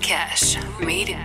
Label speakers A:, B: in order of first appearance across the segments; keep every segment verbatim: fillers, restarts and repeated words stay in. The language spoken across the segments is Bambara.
A: Cash Media.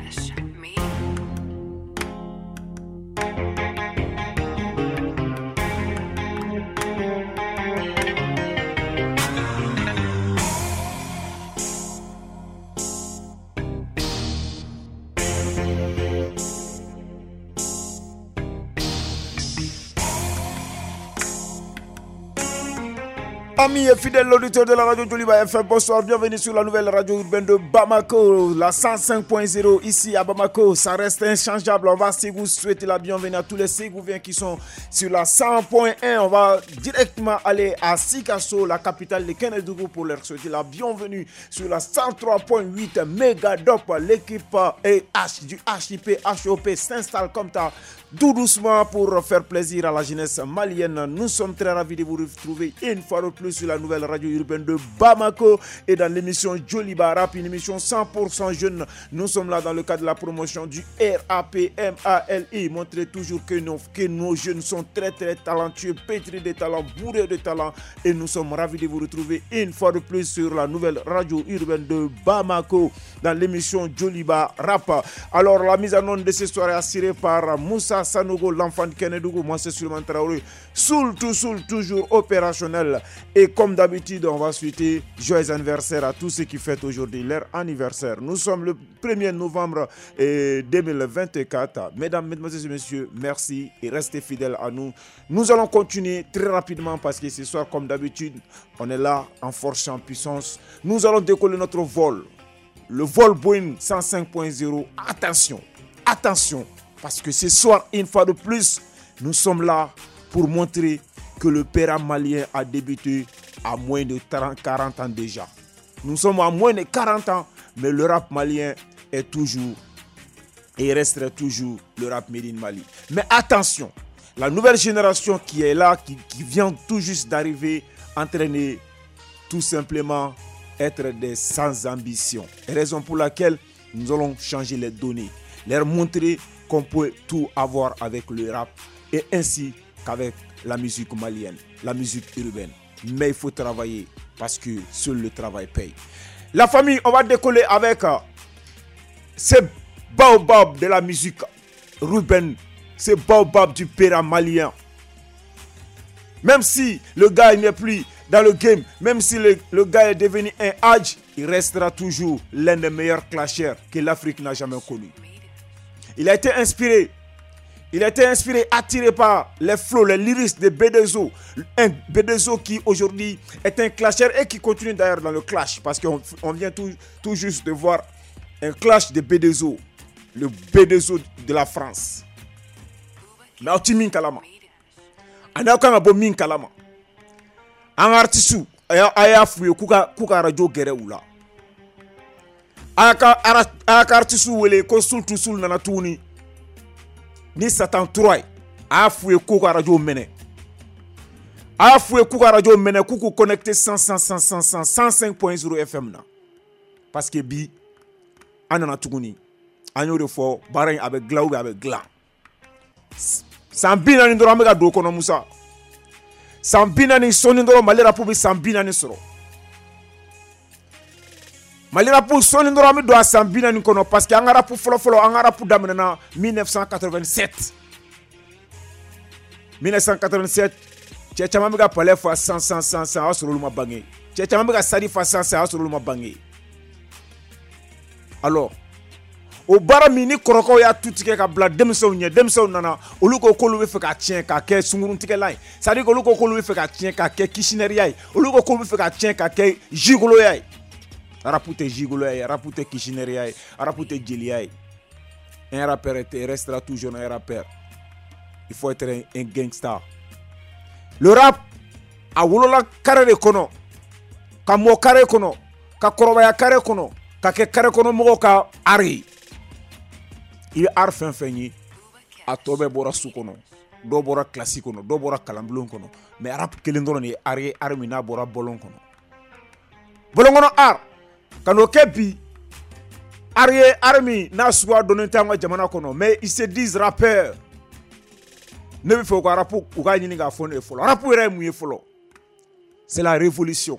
B: Amis et fidèles auditeurs de la radio Djoliba F M, bonsoir, bienvenue sur la nouvelle radio urbaine de Bamako, la cent cinq point zéro ici à Bamako. Ça reste inchangeable. On va vous souhaiter la bienvenue à tous les Ségouviens qui sont sur la cent point un. On va directement aller à Sikasso, la capitale de Kénédougou, pour leur souhaiter la bienvenue sur la cent trois point huit Megadop. L'équipe H du H I P H O P s'installe comme ça, tout doucement, pour faire plaisir à la jeunesse malienne. Nous sommes très ravis de vous retrouver une fois de plus sur la nouvelle radio urbaine de Bamako et dans l'émission Djoliba Rap, une émission cent pour cent jeune. Nous sommes là dans le cadre de la promotion du R A P M A L I. Montrer toujours que nos, que nos jeunes sont très très talentueux, pétris de talent, bourrés de talent. Et nous sommes ravis de vous retrouver une fois de plus sur la nouvelle radio urbaine de Bamako dans l'émission Djoliba Rap. Alors la mise en onde de ce soir est assurée par Moussa Sanogo, l'enfant de Kénédougou. Moi c'est Souleymane Traoré, soul tout soul, toujours opérationnel. Et comme d'habitude, on va souhaiter joyeux anniversaire à tous ceux qui fêtent aujourd'hui leur anniversaire. Nous sommes le premier novembre deux mille vingt-quatre. Mesdames, Mesdemoiselles et Messieurs, merci et restez fidèles à nous. Nous allons continuer très rapidement parce que ce soir, comme d'habitude, on est là en force et en puissance. Nous allons décoller notre vol, le vol Boeing cent cinq point zéro. Attention, attention, parce que ce soir, une fois de plus, nous sommes là pour montrer que le père malien a débuté à moins de quarante ans déjà. Nous sommes à moins de quarante ans, mais le rap malien est toujours et resterait toujours le rap made in Mali. Mais attention, la nouvelle génération qui est là, qui, qui vient tout juste d'arriver, entraîner tout simplement être des sans ambition. Raison pour laquelle nous allons changer les données, leur montrer qu'on peut tout avoir avec le rap et ainsi qu'avec la musique malienne, la musique urbaine. Mais il faut travailler parce que seul le travail paye. La famille, on va décoller avec ce baobab de la musique urbaine, ce baobab du père malien. Même si le gars n'est plus dans le game, même si le, le gars est devenu un hadj, il restera toujours l'un des meilleurs clashers que l'Afrique n'a jamais connu. Il a été inspiré. Il a été inspiré, attiré par les flots, les lyrics de B deux O. Un B deux O qui aujourd'hui est un clasher et qui continue d'ailleurs dans le clash. Parce qu'on on vient tout, tout juste de voir un clash de B deux O. Le B deux O de la France. Mais on min kalama. On a aucun bon min kalama. Un artiste a ya fouillé kouka kouka radio gere oula. A ka artiste wele ko sul tout sul nana touni. Ni Satan trois a fouillé kouka radio mene. A fouillé kouka radio mene koukou connecté cent cent cent cent cent cent cinq point zéro F M na. Parce que bi anana tuguni. Anyo de fo barin avec gla ou avec gla. San binani ndoro amega do kono Musa. San binani soni ndoro Mali rap bi san binani soro. Mali rap soni ndoro ami do a san binani kono parce que an rap folo folo an rap daminena mille neuf cent quatre-vingt-sept. mille neuf cent quatre-vingt-sept cɛ caman bɛ ka palais fa cent cent cent cent a sɔrɔ olu ma bange. Cɛ caman bɛ ka sari fa cent cent a sɔrɔ olu ma bange. Alors o baara min ni kɔrɔkɛw y'a tu tigɛ ka bila denmisɛnw ɲɛ, denmisɛnw nana olu ko k'olu bɛ fɛ ka tiɲɛ k'a kɛ sunkuruntigɛla ye, c'est à dire olu ko k'olu bɛ fɛ ka tiɲɛ k'a kɛ kisinɛriya ye, olu ko k'olu bɛ fɛ ka tiɲɛ k'a kɛ jigoloya ye. Rap tɛ jigoloya ye, rap tɛ kisinɛriya ye, rap tɛ jeliya ye. Un rappeur restera toujours un rappeur. Il faut être un, un gangster. Le rap a wolola carré de kɔnɔ, ka mɔ carré kɔnɔ, ka kɔrɔbaya carré kɔnɔ, ka kɛ carré kɔnɔ mɔgɔw ka art ye. I bɛ art fɛn fɛn ye, a tɔ bɛɛ bɔra su kɔnɔ, dɔw bɔra kilasi kɔnɔ, dɔw bɔra kalanbulon kɔnɔ, mais rap kelen dɔrɔn de ye art ye, art min n'a bɔra bɔlɔn kɔnɔ. Bɔlɔn kɔnɔ art ka n'o kɛ bi art ye, art min n'a suguya dɔnnen tɛ an ka jamana kɔnɔ, mais ils se disent rappeurs. Ne bɛ fɛ u ka rap u k'a ɲini k'a fɔ ne ye fɔlɔ. Rap yɛrɛ ye mun ye fɔlɔ? C'est la révolution.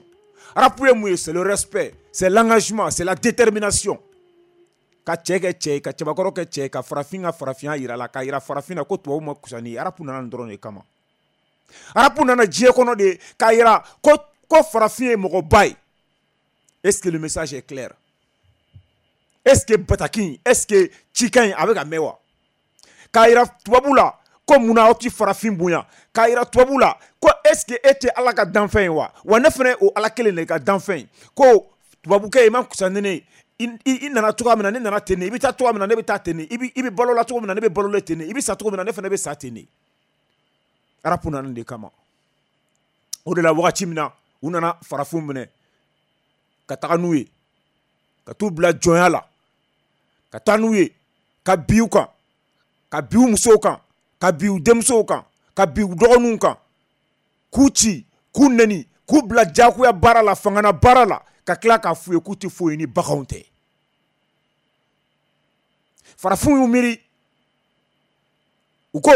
B: Rap ye mun ye? C'est le respect, c'est l'engagement, c'est la détermination. Ka cɛ kɛ cɛ ye, ka cɛbakɔrɔ kɛ cɛ ye, ka farafin ka farafinya yira la, ka yira farafin na ko tubabu ma kusa ni ye. Rap nana nin dɔrɔn de kama. Rap nana diɲɛ kɔnɔ de k'a yira ko ko farafin ye mɔgɔba ye. Est-ce que le message est clair? Est-ce que bataki, est-ce que cikan in a bɛ ka mɛn wa? K'a yira tubabu la ko munna aw ti farafin bonya? K'a yira tubabu la ko est-ce que e tɛ Ala ka danfɛn ye wa? Wa ne fana o Ala kelen de ka danfɛn ye. Ko tubabukɛ i ma kusa ni ne ye. I nana cogoya min na, ne nana ten de. I bɛ taa cogoya min na, ne bɛ taa ten de. I bɛ i bɛ balo la cogo min na, ne bɛ balo la ten de. I bɛ sa cogo min na, ne fana bɛ sa ten de. Rap nana nin de kama. O de la wagati min na u nana farafinw minɛ ka taga n'u ye, ka t'u bila jɔnya la, ka taa n'u ye, ka bin u kan, ka bin u musow kan, ka bin u denmusow kan, ka bin u dɔgɔninw kan, k'u ci, k'u nɛni, k'u bila diyagoya baara la, fangana baara la, ka tila k'a f'u ye k'u tɛ foyi ni baganw tɛ. Farafinw y'u miiri, u ko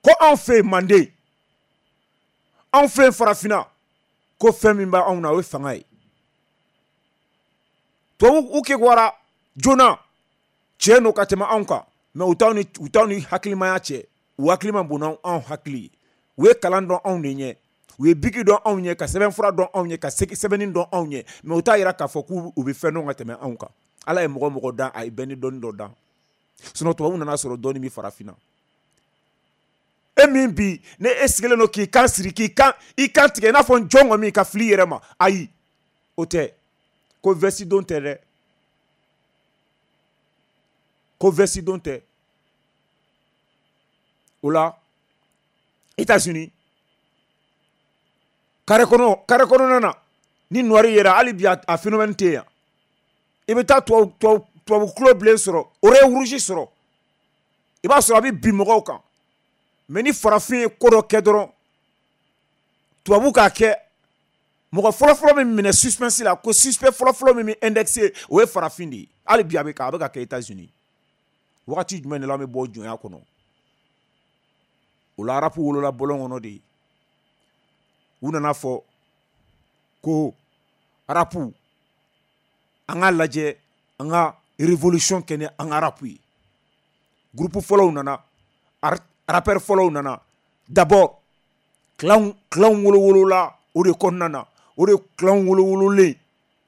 B: ko anw fɛ yen Manden, anw fɛ yen farafinna, ko fɛn min b'anw na o ye fanga ye. Tubabu u kekuwara joona, tiɲɛ don ka tɛmɛ anw kan, mɛ u t'anw ni u t'anw ni hakilimaya cɛ. U hakili ma bon n'anw hakili ye. U ye kalan dɔn anw de ɲɛ, u ye biki dɔn anw ɲɛ, ka sɛbɛnfura dɔn anw ɲɛ, ka sɛbɛnni dɔn anw ɲɛ, mɛ u t'a yira k'a fɔ k'u bɛ fɛn dɔn ka tɛmɛ anw kan. Ala ye mɔgɔ mɔgɔ dan, a ye bɛɛ ni dɔnni dɔ dan. Sinon tubabu nana sɔrɔ dɔnni bɛ farafinna. E min bi ne e sigilen don k'i kan siri, k'i kan i kan tigɛ i n'a fɔ n jɔn kɔmi ka fili i yɛrɛ ma, ayi o tɛ. Ko veste don tɛ dɛ, ko veste don tɛ. O la États-Unis carré kɔnɔ, carré kɔnɔna na ni noir yera, hali bi a phénomène tɛ yan. I bɛ taa tubabu tubabu tubabu tulo bilen sɔrɔ, oreille rouge sɔrɔ, i b'a sɔrɔ a bɛ bin mɔgɔw kan. Mais ni farafin ye ko dɔ kɛ dɔrɔn, tubabu k'a kɛ, mɔgɔ fɔlɔfɔlɔ min minɛ suspense la, ko suspect fɔlɔfɔlɔ min bɛ indexé, o ye farafin de ye. Hali bi a bɛ a bɛ ka kɛ États-Unis. Wagati jumɛn de la an bɛ bɔ jɔnya kɔnɔ? O la rap wolola bɔlɔn kɔnɔ de ye. U nana fɔ ko rap, an k'a lajɛ an ka révolution kɛ ni an ka rap ye. Groupe fɔlɔw nana, rappeur fɔlɔw nana. D'abord clan clan wolowolola o de kɔnɔna na, o de clan wolowololen,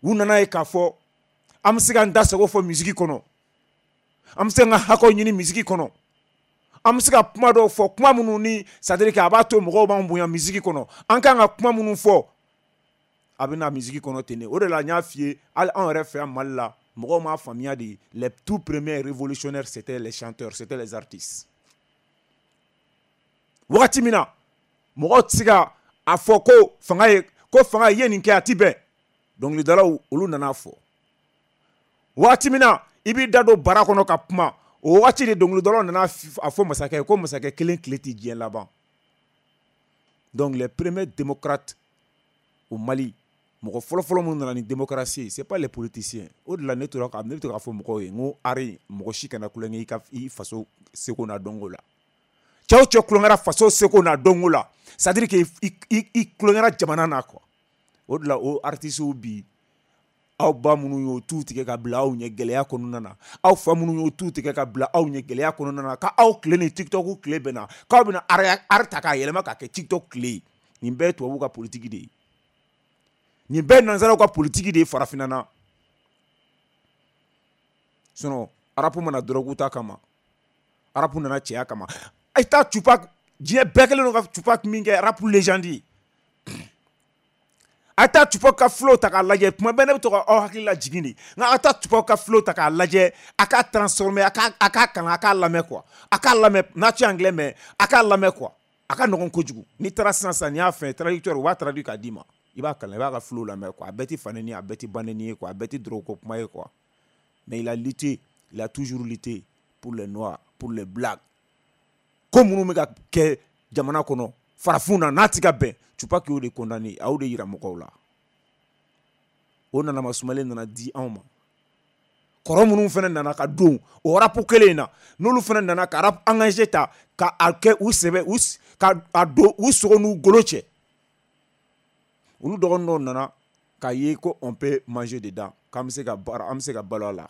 B: u nana ye k'a fɔ an bɛ se k'an da sago fɔ musique kɔnɔ, an bɛ se k'an ka hakɛw ɲini musique kɔnɔ, an bɛ se ka kuma dɔw fɔ, kuma minnu ni c'est à dire que a b'a to mɔgɔw b'an bonya musique kɔnɔ, an kan ka kuma minnu fɔ a bɛ na musique kɔnɔ ten de. O de la n y'a f'i ye, hali anw yɛrɛ fɛ yan Mali la, mɔgɔw m'a faamuya de. Les tout premiers révolutionnaires, c'était les chanteurs, c'était les artistes. Wagati min na mɔgɔw tɛ se ka a fɔ ko fanga ye ko fanga ye nin kɛ, a ti bɛn, dɔnkilidalaw olu nana fɔ. Wagati min na i b'i da don bara kɔnɔ ka kuma, o wagati de dɔnkilidalaw nana a fɔ masakɛ ye ko masakɛ kelen tile tɛ diɲɛ laban. Donc les premiers démocrates au Mali, mɔgɔ fɔlɔfɔlɔ minnu nana ni démocratie, c'est pas les politiciens. O de la ne tora ka ne bɛ to k'a fɔ mɔgɔw ye n ko ari mɔgɔ si kana kulonkɛ i ka i faso seko n'a dɔnko la. Cɛw cɛ kulonkɛra faso seko n'a dɔnko la, c'est à dire que i i i kulonkɛra jamana na quoi. O de la o artistes bi, aw ba minnu y'o tu tigɛ ka bila aw ɲɛ gɛlɛya kɔnɔna na, aw fa minnu y'o tu tigɛ ka bila aw ɲɛ gɛlɛya kɔnɔna na, ka aw tile ni TikTok tile bɛnna, k'aw bɛna art ta k'a yɛlɛma k'a kɛ TikTok tile ye. Nin bɛɛ ye tubabuw ka politique de ye, nin bɛɛ ye nanzaraw ka politique de ye farafinna na. Sinon rap mana drogue ta kama, rap nana cɛya kama. A taa Tupac, diɲɛ bɛɛ kɛlen don ka Tupac min kɛ rap légende ye. A taa Tupac ka flow ta k'a lajɛ, tuma bɛɛ ne bɛ to ka aw hakili lajigin de. Nka a taa Tupac ka flow ta k'a lajɛ, a k'a transformer, a k'a a k'a kalan, a k'a lamɛn quoi, a k'a lamɛn n'a tɛ anglais mɛn, a k'a lamɛn quoi, a ka nɔgɔn kojugu. N'i taara sisan sisan n'i y'a fɛn traducteur, u b'a traduit k'a d'i ma, i b'a kalan, i b'a ka flow lamɛn quoi. A bɛɛ tɛ fa nɛni ye, a bɛɛ tɛ ba nɛni ye quoi, a bɛɛ tɛ drogue ko kuma ye quoi. Mais il a lutté, il a toujours lutté pour les noirs, pour les blacks. Ko minnu bɛ ka kɛ jamana kɔnɔ farafinw na n'a ti ka bɛn, Tupac y'o de condamné, a y'o de yira mɔgɔw la. O nana masumalen nana di anw ma. Kɔrɔ minnu fana nana ka don o rap kelen in na, n'olu fana nana ka rap engagé ta ka a kɛ u sɛbɛ u ka a don u sogo n'u golo cɛ, olu dɔgɔnin dɔw nana k'a ye ko on peut manger dedans, k'an bɛ se ka baara, an bɛ se ka balo a la.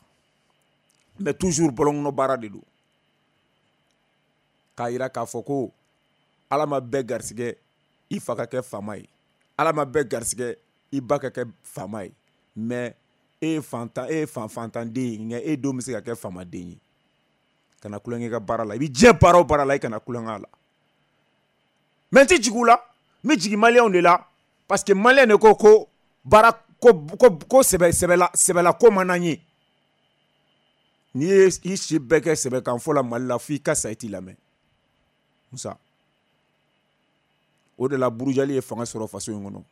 B: Mais toujours bɔlɔnkɔnɔ baara de don. K'a yira k'a fɔ ko Ala ma bɛɛ garisɛgɛ i fa ka kɛ faama ye, Ala ma bɛɛ garisɛgɛ i ba ka kɛ faama ye, mais e ye fantan, e ye fan fantanden ye, nka e denw bɛ se ka kɛ faamaden ye. Kana kulonkɛ ka baara la, i bɛ diɲɛ baara o baara la, i kana kulonkɛ a la. Mais n tɛ jigin u la, n bɛ jigin maliyɛnw de la, parce que maliyɛn de ko ko baara ko ko ko sɛbɛ sɛbɛla sɛbɛla ko man d'an ye. N'i ye i si bɛɛ kɛ sɛbɛkanfɔ la Mali la, f'i ka sa i t'i lamɛn. Musa, o de la burujali ye fanga sɔrɔ faso in kɔnɔ.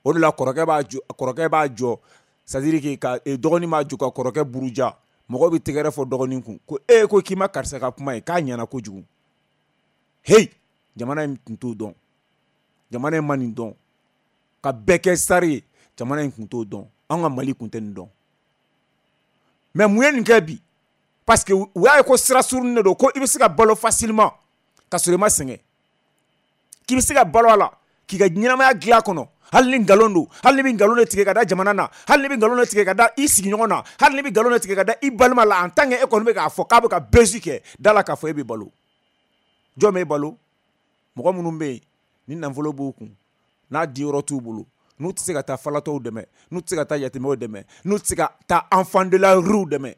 B: O de la kɔrɔkɛ b'a jɔ, kɔrɔkɛ b'a jɔ, c'est à dire que ka dɔgɔnin b'a jɔ ka kɔrɔkɛ buruja. Mɔgɔw bɛ tɛgɛrɛ fɔ dɔgɔnin kun ko e ko k'i ma karisa ka kuma ye k'a ɲɛna kojugu. Hey, jamana in tun t'o dɔn, jamana in ma nin dɔn, ka bɛɛ kɛ sari ye, jamana in tun t'o dɔn, an ka Mali tun tɛ nin dɔn. Mais mun ye nin kɛ bi? Parce que u y'a ye ko sira surunin de don, ko i bɛ se ka balo facilement ka sɔrɔ i ma sɛgɛn, k'i bɛ se ka balo a la k'i ka ɲɛnamaya dilan a kɔnɔ, hali ni nkalon don, hali ni bɛ nkalon de tigɛ ka da jamana na, hali ni bɛ nkalon de tigɛ ka da i sigiɲɔgɔn na, hali ni bɛ nkalon de tigɛ ka da i balima la, en tant que e kɔni bɛ k'a fɔ k'a bɛ ka buzz kɛ da la k'a fɔ e bɛ balo. Jɔn bɛ balo? Mɔgɔ minnu bɛ yen ni nafolo b'u kun, n'a diyɔrɔ t'u bolo, n'u tɛ se ka taa falatɔw dɛmɛ, n'u tɛ se ka taa yatimɛw dɛmɛ, n'u tɛ se ka taa enfant de la rue dɛmɛ,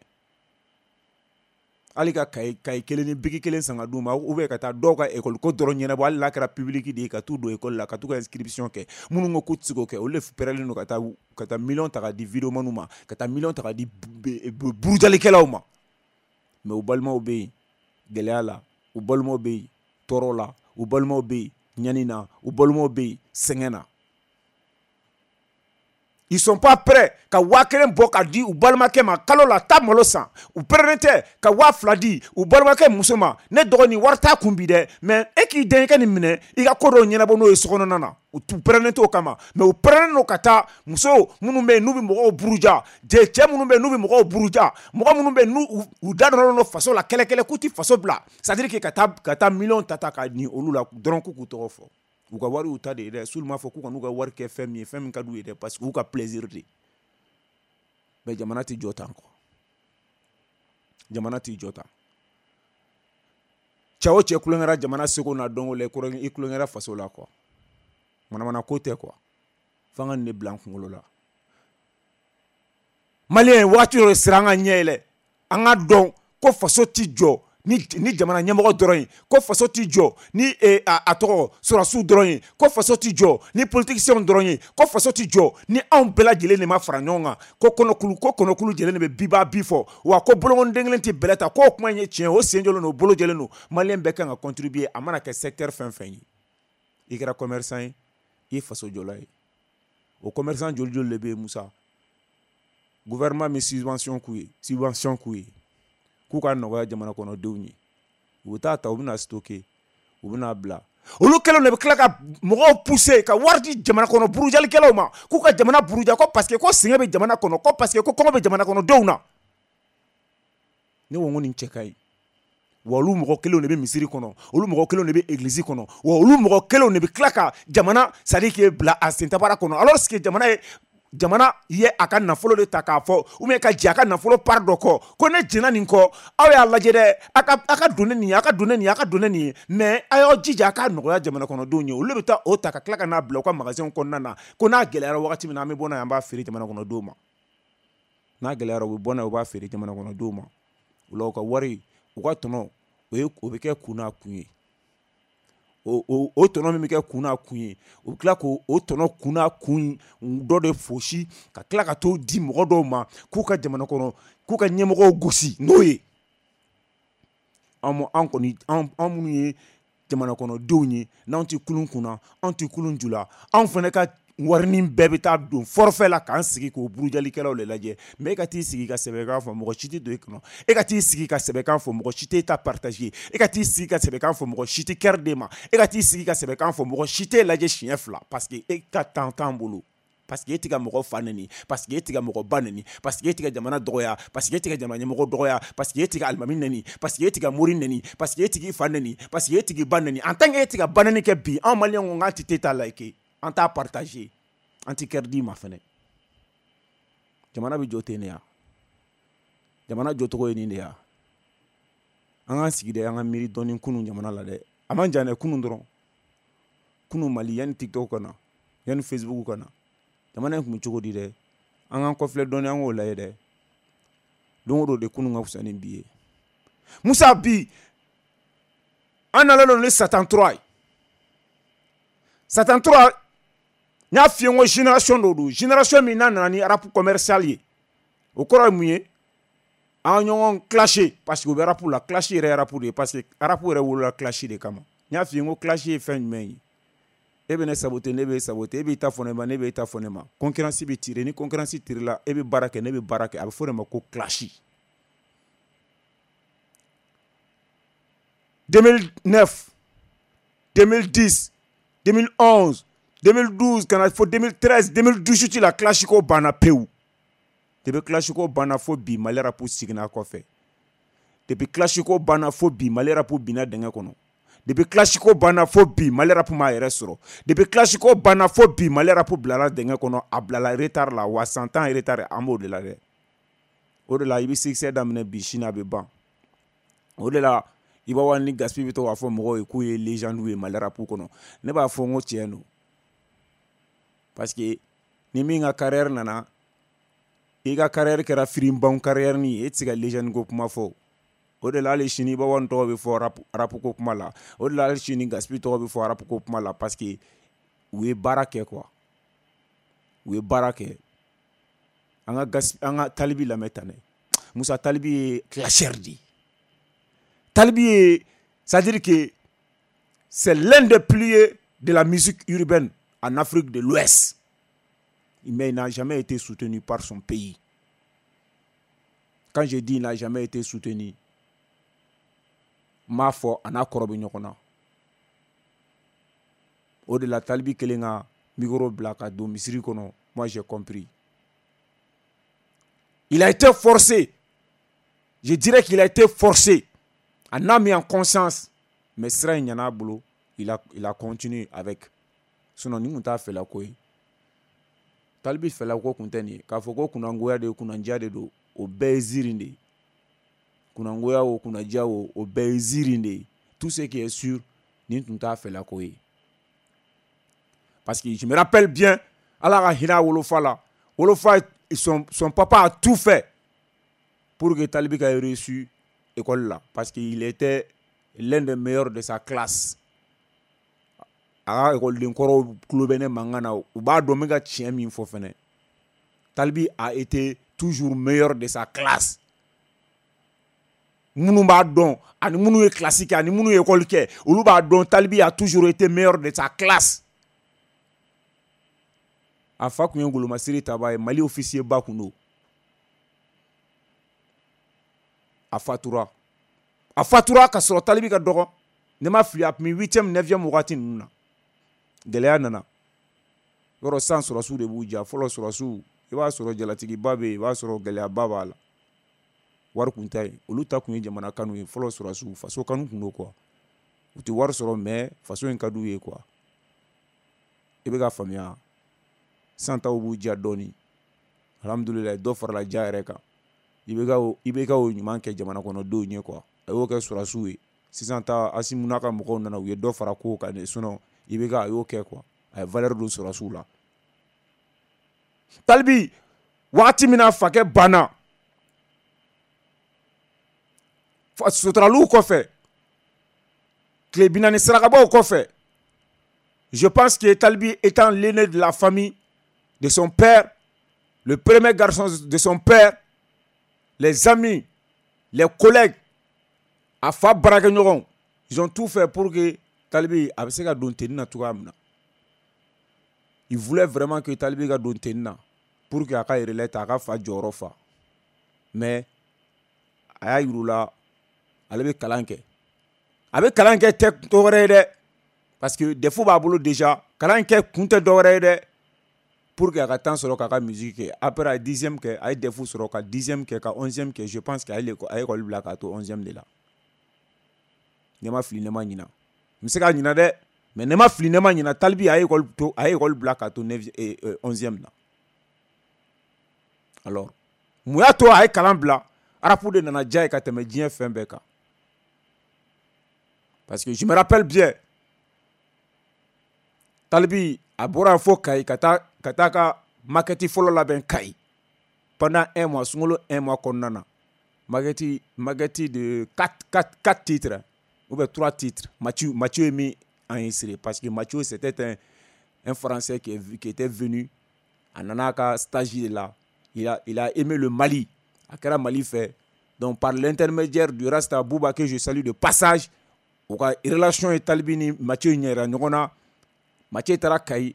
B: hali ka kaye kaye kelen ni biki kelen san ka d'u ma, ou bien ka taa dɔw ka école ko dɔrɔn ɲɛnabɔ, hali n'a kɛra public de ye, ka t'u don école la, ka t'u ka inscription kɛ. Minnu ko k'u tɛ se k'o kɛ, olu de pɛrɛlen don ka taa ka taa miliyɔn ta ka di videomaniw ma, ka taa miliyɔn ta ka di burujalikɛlaw ma. Mais u balimaw bɛ yen gɛlɛya la, u balimaw bɛ yen tɔɔrɔ la, u balimaw bɛ yen ɲani na, u balimaw bɛ yen sɛgɛn na. Ils sont pas prêts ka waa kelen bɔ ka di u balimakɛ ma kalo la, taa malo san. U pɛrɛnnen tɛ ka waa fila di u balimakɛ muso ma, ne dɔgɔnin wari t'a kun bi dɛ, mais e k'i den i ka nin minɛ i ka ko dɔw ɲɛnabɔ n'o ye sokɔnɔna na. U pɛrɛnnen t'o kama, mais u pɛrɛnnen don ka taa muso minnu bɛ yen n'u bɛ mɔgɔw buruja, cɛ minnu bɛ yen n'u bɛ mɔgɔw buruja, mɔgɔ minnu bɛ yen n'u u da dɔnnen don faso la kɛlɛkɛlɛ k'u tɛ faso bila, c'est à dire que ka taa ka taa miliyɔn ta ta ka nin olu la dɔrɔn k'u k'u tɔgɔ fɔ. U ka wari y'u ta de ye dɛ, s'olu m'a fɔ k'u ka n'u ka wari kɛ fɛn min ye, fɛn min ka d'u ye dɛ, parce que u ka plaisir de. Mais jamana tɛ jɔ tan quoi, jamana tɛ jɔ tan. Cɛ o cɛ kulonkɛra jamana seko n'a dɔnko la, i kulonkɛra faso la quoi, manamana ko tɛ quoi. F'an ka nin de bila an kunkolo la. Maliyɛn waati dɔ de sera an ka ɲɛ yɛlɛ, an ka dɔn ko faso ti jɔ ni ni jamana ɲɛmɔgɔ dɔrɔn ye, ko faso ti jɔ ni a, a tɔgɔ sɔrɔsiw dɔrɔn ye, ko faso ti jɔ ni politiciens dɔrɔn ye, ko faso ti jɔ ni anw bɛɛ lajɛlen de ma fara ɲɔgɔn kan, ko kɔnɔkulu ko kɔnɔkulu jɛlen de bɛ biba bi fɔ, wa ko bolonkɔniden kelen tɛ bɛlɛ ta, k'o kuma in ye tiɲɛ, o sen jɔlen don, o bolo jɛlen don. Maliyɛn bɛɛ kan ka contribuer, a mana kɛ secteur fɛn fɛn ye, i kɛra commerçant ye, i ye faso jɔla ye. O commerçant joli joli de bɛ yen Musa? Gouvernement min subvention k'u ye, subvention k'u ye k'u ka nɔgɔya jamana kɔnɔdenw ye, u bɛ taa ta, u bɛna stocker, u bɛna bila. Olu kɛlen de bɛ tila ka mɔgɔw pousser ka wari di jamana kɔnɔ burujalikɛlaw ma k'u ka jamana buruja, ko parce que ko sɛgɛn bɛ jamana kɔnɔ, ko parce que ko kɔngɔ bɛ jamana kɔnɔdenw na. Ne ko n ko nin cɛ ka ɲi. Wa olu mɔgɔ kelenw de bɛ misiri kɔnɔ, olu mɔgɔ kelenw de bɛ église kɔnɔ, wa olu mɔgɔ kelenw de bɛ tila ka jamana c'est à dire que bila a sentabara kɔnɔ, alors que jamana ye jamana ye a ka nafolo de ta k'a fɔ, ou bien ka jɛ a ka nafolo part dɔ kɔ, ko ne jɛnna nin kɔ, aw y'a lajɛ dɛ, a ka a ka don ne nin ye, a ka don ne nin ye, a ka don ne nin ye, mais a y'aw jija a k'a nɔgɔya jamana kɔnɔdenw ye. Olu de bɛ taa o ta ka tila ka n'a bila u ka magasin kɔnɔna na, ko n'a gɛlɛyara wagati min na, an bɛ bɔ n'a ye, an b'a feere jamana kɔnɔdenw ma. N'a gɛlɛyara, u bɛ bɔ n'a ye, u b'a feere jamana kɔnɔdenw ma. O la u ka wari, u ka tɔnɔ, o ye o bɛ kɛ kun n'a kun ye. O o o tɔnɔ min bɛ kɛ kun n'a kun ye, u bɛ tila k'o o tɔnɔ kun n'a kun dɔ de fosi ka tila ka t'o di mɔgɔ dɔw ma k'u ka jamana kɔnɔ, k'u ka ɲɛmɔgɔw gosi n'o ye. An an kɔni an an minnu ye jamana kɔnɔdenw ye, n'anw tɛ kulun kunna, anw tɛ kulun ju la, anw fana ka warinin bɛɛ bɛ taa don forfait la k'an sigi k'o burujalikɛlaw de lajɛ. Mais e ka t'i sigi ka sɛbɛkan fɔ, mɔgɔ si tɛ don e kɔnɔ. E ka t'i sigi ka sɛbɛkan fɔ, mɔgɔ si t'e ta partager. E ka t'i sigi ka sɛbɛkan fɔ, mɔgɔ si tɛ cœur d'e ma. E ka t'i sigi ka sɛbɛkan fɔ, mɔgɔ si t'e lajɛ siɲɛ fila, parce que e ka temps t'an bolo. Parce que e tɛ ka mɔgɔ fa nɛni, parce que e tɛ ka mɔgɔ ba nɛni, parce que e tɛ ka jamana dɔgɔya, parce que e tɛ ka jamana ɲɛmɔgɔ dɔgɔya, parce que e tɛ ka alimami nɛni, parce que e tɛ ka mori nɛni, parce que e tɛ k'i fa nɛni, parce que e tɛ k'i ba nɛni. En tant que e tɛ ka ba nɛni kɛ bi, anw maliyɛnw ko k'an tɛ ta like, an t'a partager, an tɛ cœur d'i ma fɛnɛ. Jamana bɛ jɔ ten de ya. Jamana jɔcogo ye nin de ya? An k'an sigi dɛ, an ka miiri dɔɔni kunun jamana la dɛ. A man jan dɛ, kunun dɔrɔn. Kunun Mali, yanni TikTok ka na, yanni Facebook ka na, jamana in tun bɛ cogo di dɛ? An k'an kɔfilɛ dɔɔni, an k'o lajɛ dɛ. Don o don de, kunun ka fisa ni bi ye. Musa, bi an nalen don ni Satan trois ye. Satan trois, n y'a f'i ye n ko génération dɔ don, génération min n'a nana ni rap commercial ye. O kɔrɔ ye mun ye? An ɲɔgɔn clasher, parce que u bɛ rap la. Clash yɛrɛ ye rap de ye, parce que rap yɛrɛ wolola clash de kama. N y'a f'i ye n ko clash ye fɛn jumɛn ye? E bɛ ne saboter, ne bɛ saboter. E b'i ta fɔ ne ma, ne bɛ ta fɔ ne ma. Concurrence bɛ tirer. Ni concurrence tirer la, e bɛ baara kɛ, ne bɛ baara kɛ, a bɛ fɔ de ma ko clash. deux mille neuf, deux mille dix, deux mille onze, deux mille douze, ka na fo deux mille treize, deux mille dix-huit la, clash ko banna pewu. Depuis clash ko banna fo bi, Mali rap seginna kɔfɛ. Depuis clash ko banna fo bi, Mali rap binna dingɛ kɔnɔ. Depuis clash ko banna fo bi, Mali rap m'a yɛrɛ sɔrɔ. Depuis clash ko banna fo bi, Mali rap bilala dingɛ kɔnɔ, a bilala retard la. Wa san tan retard, an b'o de la dɛ. O de la i bɛ succès daminɛ bi, sini a bɛ ban. O de la Iba One ni Gaspi bɛ to k'a fɔ mɔgɔw ye k'u ye légende ye Mali rap kɔnɔ. Ne b'a fɔ n ko tiɲɛ don, parce que ni min ka carrière nana, i ka carrière kɛra firinban carrière ni ye, e tɛ se ka légende ko kuma fɔ. O de la hali sini Iba One tɔgɔ bɛ fɔ rap, rap ko kuma la. O de la hali sini Gaspi tɔgɔ bɛ fɔ rap ko kuma la, parce que u ye baara kɛ quoi, u ye baara kɛ. An ka Gaspi, an ka Tal B lamɛn tan dɛ. Musa, Tal B ye clasheur de ye. Tal B ye, c'est-à-dire que c'est l'un des piliers de la musique urbaine en Afrique de l'Ouest, mais il n'a jamais été soutenu par son pays. Quand je dis il n'a jamais été soutenu, n m'a fɔ a n'a kɔrɔ bɛ ɲɔgɔn na. O de la Tal B kelen ka micro bila ka don misiri kɔnɔ, moi j'ai compris. Il a été forcé, je dirais qu'il a été forcé en âme et en conscience, mais sira in ɲan'a bolo, il a, il a continué avec. Sinon nin kun t'a fɛla ko ye. Tal B fɛla ko kun tɛ nin ye. K'a fɔ ko kunnangoya de, kunnandiya de don, o bɛɛ ye ziiri de ye. Kunnangoya o, kunnadiya o, o bɛɛ ye ziiri de ye. Tout ce qui est sûr, nin tun t'a fɛla ko ye, parce que je me rappelle bien, Ala ka hinɛ a wolofa la. Wolofa, son, son papa a tout fait pour que Tal B ka réussi école la, parce qu'il était l'un des meilleurs de sa classe. A ka ekɔliden kɔrɔw tulo bɛ ne mankan na, u b'a dɔn n bɛ ka tiɲɛ min fɔ fɛnɛ. Tal B a été toujours meilleur de sa classe. Minnu b'a dɔn, ani minnu ye classe kɛ, ani minnu ye école kɛ, olu b'a dɔn, Tal B a toujours été meilleur de sa classe. A fa tun ye ngolomasiri taba ye, Mali officier ba kun don. A fatura, a fatura ka sɔrɔ Tal B ka dɔgɔ. Ne ma fili, a tun bɛ huitième, neuvième wagati ninnu na. Gɛlɛya nana yɔrɔ san, sɔrɔsiw de b'u ja. Fɔlɔ sɔrɔsiw, i b'a sɔrɔ jalatigiba bɛ yen, i b'a sɔrɔ gɛlɛyaba b'a la, wari kun tɛ yen. Olu ta kun ye jamana kanu ye. Fɔlɔ sɔrɔsiw, faso kanu kun don quoi. U tɛ wari sɔrɔ, mais faso in ka d'u ye quoi. I bɛ ka faamuya? San taw b'u ja dɔɔni. Alhamdulilayi, dɔ farala ja yɛrɛ kan. I bɛ ka i bɛ ka o ɲuman kɛ jamana kɔnɔdenw ye quoi. A y'o kɛ sɔrɔsiw ye. Sisan ta, Assimi n'a ka mɔgɔw nana, u ye dɔ fara kow kan de. Sinon i bɛ ka a y'o kɛ quoi, a ye valeur don sɔrɔsiw la. Tal B, wagati min na fakɛ banna suturaliw kɔfɛ, tile bi naani sarakabaw kɔfɛ, je pense que Tal B étant l'aîné de la famille de son père, le premier garçon de son père, les amis, les collègues, a fa baarakɛɲɔgɔnw, ils ont tout fait pour que Tal B a bɛ se ka don tenue na cogoya min na. Il voulait vraiment que Tal B ka don tenue na pour que a ka relais ta, a ka fa jɔyɔrɔ fa. Mais a y'a yir'u la ale bɛ kalan kɛ. A bɛ kalan kɛ tɛ dɔwɛrɛ ye dɛ, parce que défaut b'a bolo déjà. Kalan kɛ kun tɛ dɔwɛrɛ ye dɛ, pour que a ka temps sɔrɔ k'a ka musique kɛ. Après a ye dixième kɛ, a ye D E F sɔrɔ ka dixième kɛ, ka onzième kɛ. Je pense que a ye a ye école bila k'a to onzième de la. Ne ma fili, ne ma ɲina, n bɛ se ka ɲina dɛ, mais ne ma fili, ne ma ɲina, Tal B a ye école to, a ye école bila k'a to onzième na. Alors mun y'a to a ye kalan bila? Rap de nana diya ye ka tɛmɛ diɲɛ fɛn bɛɛ kan. Parce que je me rappelle bien, Talibi a bɔra fo Kayi ka taa ka taa ka maquette fɔlɔ labɛn Kayi pendant un mois, sunkalo un mois kɔnɔna na, maquette maquette de quatre quatre quatre titres ou bien trois titres. Mathieu Mathieu ye min enregistré, parce que Mathieu, c'était un un Français qui, est, qui était venu, a nana a ka stage de la, il a il a aimé le Mali, a kɛra Mali fɛ. Donc par l'intermédiaire du Rasta Bouba, que je salue de passage, u ka relation ye Talibi ni Mathieu ɲɛ yira ɲɔgɔn na. Mathieu taara Kayi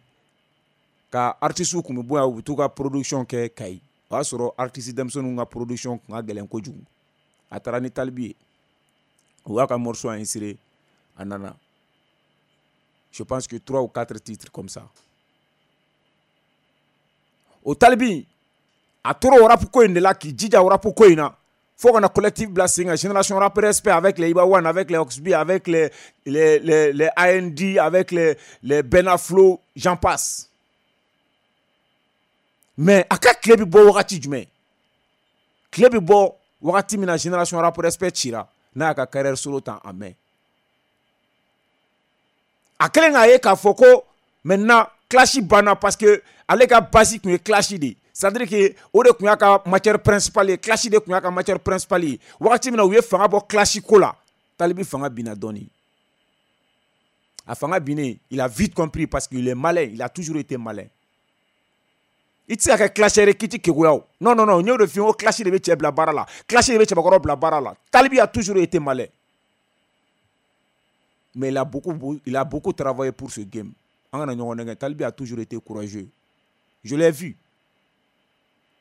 B: ka artistes kun bɛ bɔ yan, u bɛ t'u ka production kɛ Kayi. O y'a sɔrɔ artiste denmisɛnninw ka production kun ka gɛlɛn kojugu. A taara ni Talibi ye, u y'a ka morceau enregistré, a nana, je pense que trois ou quatre titres comme ça. O Talibi a tora o rap ko in de la, k'i jija o rap ko in na fo ka na collectif bila sen kan, Génération Rap Respect, avec les Iba One, avec les Oxby, avec les les les les A N D, avec les les Benaflo, j'en passe. Mais a ka tile bɛ bɔ wagati jumɛn? Tile bɛ bɔ wagati min na Génération Rap Respect cira, n'a y'a ka carrière solo ta en main, a kɛlen k'a ye k'a fɔ ko maintenant clash banna, parce que ale ka base tun ye clash de ye, c'est à dire que o de tun y'a ka matière principale ye, clash de tun y'a ka matière principale ye. Wagati min na u ye fanga bɔ clash ko la, Talibi fanga binna dɔɔni. A fanga binnen, il a vite compris, parce qu'il est malin, il a toujours été malin. I tɛ se ka kɛ clasheur ye k'i ti keguya o. Non, non, non, n y'o de f'i ye ko clash de bɛ cɛ bila baara la, clash de bɛ cɛbakɔrɔ bila baara la. Talibi a toujours été malin, mais il a beaucoup il a beaucoup travaillé pour ce game. An kana ɲɔgɔn nɛgɛ. Talibi a toujours été courageux, je l'ai vu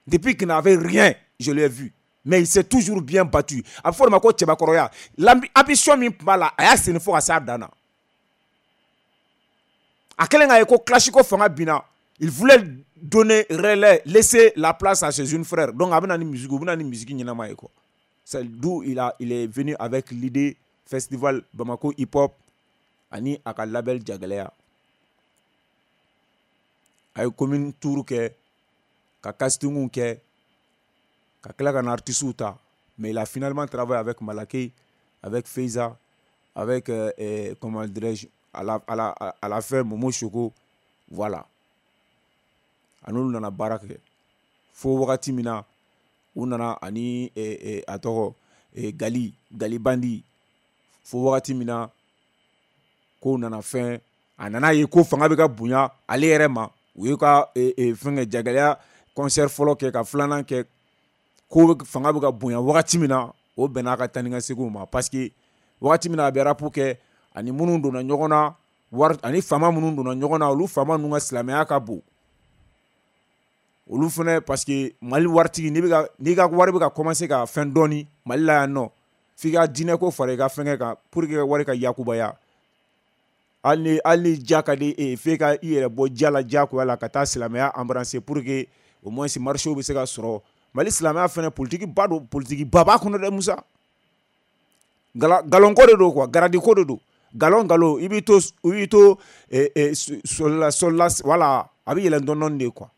B: depuis qu'il n'avait rien, je l'ai vu, mais il s'est toujours bien battu. A bɛ fɔ o de ma ko cɛbakɔrɔya. L'ambition min tun b'a la, a y'a senni fo ka s'a dan na. A kɛlen k'a ye ko clash ko fanga binna, il voulait donner relais, laisser la place à ses jeunes frères. Donc a bɛ na ni musique, u bɛ na ni musique ɲɛnama ye quoi. C'est d'où il a il est venu avec l'idée festival Bamako hip hop ani a ka label Jagɛlɛya. A ye commune tour kɛ, ka casting kɛ, ka tila ka na artistes ta. Mais il a finalement travaillé avec Malake, avec Feiza, avec euh, euh, comment dirais-je, à la, à la, à la fin Momo Choco, voilà. A n'olu nana baara kɛ fo wagati min na u nana ani eh, eh, a tɔgɔ eh, Gali Gali Bandi, fo wagati min na kow nana fɛn, a nana ye ko fanga bɛ ka bonya ale yɛrɛ ma. U ye ka eh, eh, fɛnkɛ Jagɛlɛya concert fɔlɔ kɛ, ka filanan kɛ, ko fanga bɛ ka bonya wagati min na, o bɛnna a ka taa ni ka seginw ma, parce que wagati min na a bɛ rap kɛ, ani minnu donna ɲɔgɔn na wari, ani faama minnu donna ɲɔgɔn na, olu faama ninnu ka silamɛya ka bon olu fɛnɛ, parce que Mali waritigi, n'i bɛ ka n'i ka wari bɛ ka commencer ka fɛn dɔɔni Mali la yan nɔ, f'i ka diinɛ ko fara i ka fɛnkɛ kan pour que ka wari ka yakubaya. Hali ni hali ni ja ka di e ye, f'e ka i yɛrɛ bɔ ja la diyagoya la ka taa silamɛya embrasser pour que au moins marché bɛ se ka sɔrɔ. Mali silamɛya fɛnɛ, politique ba don, politique ba b'a kɔnɔ dɛ Musa. Galon ko de don quoi, grade ko de don, galon galon, i b'i to i b'i to sɔli la sɔli la, voilà, a bɛ yɛlɛn dɔɔni dɔɔni de quoi.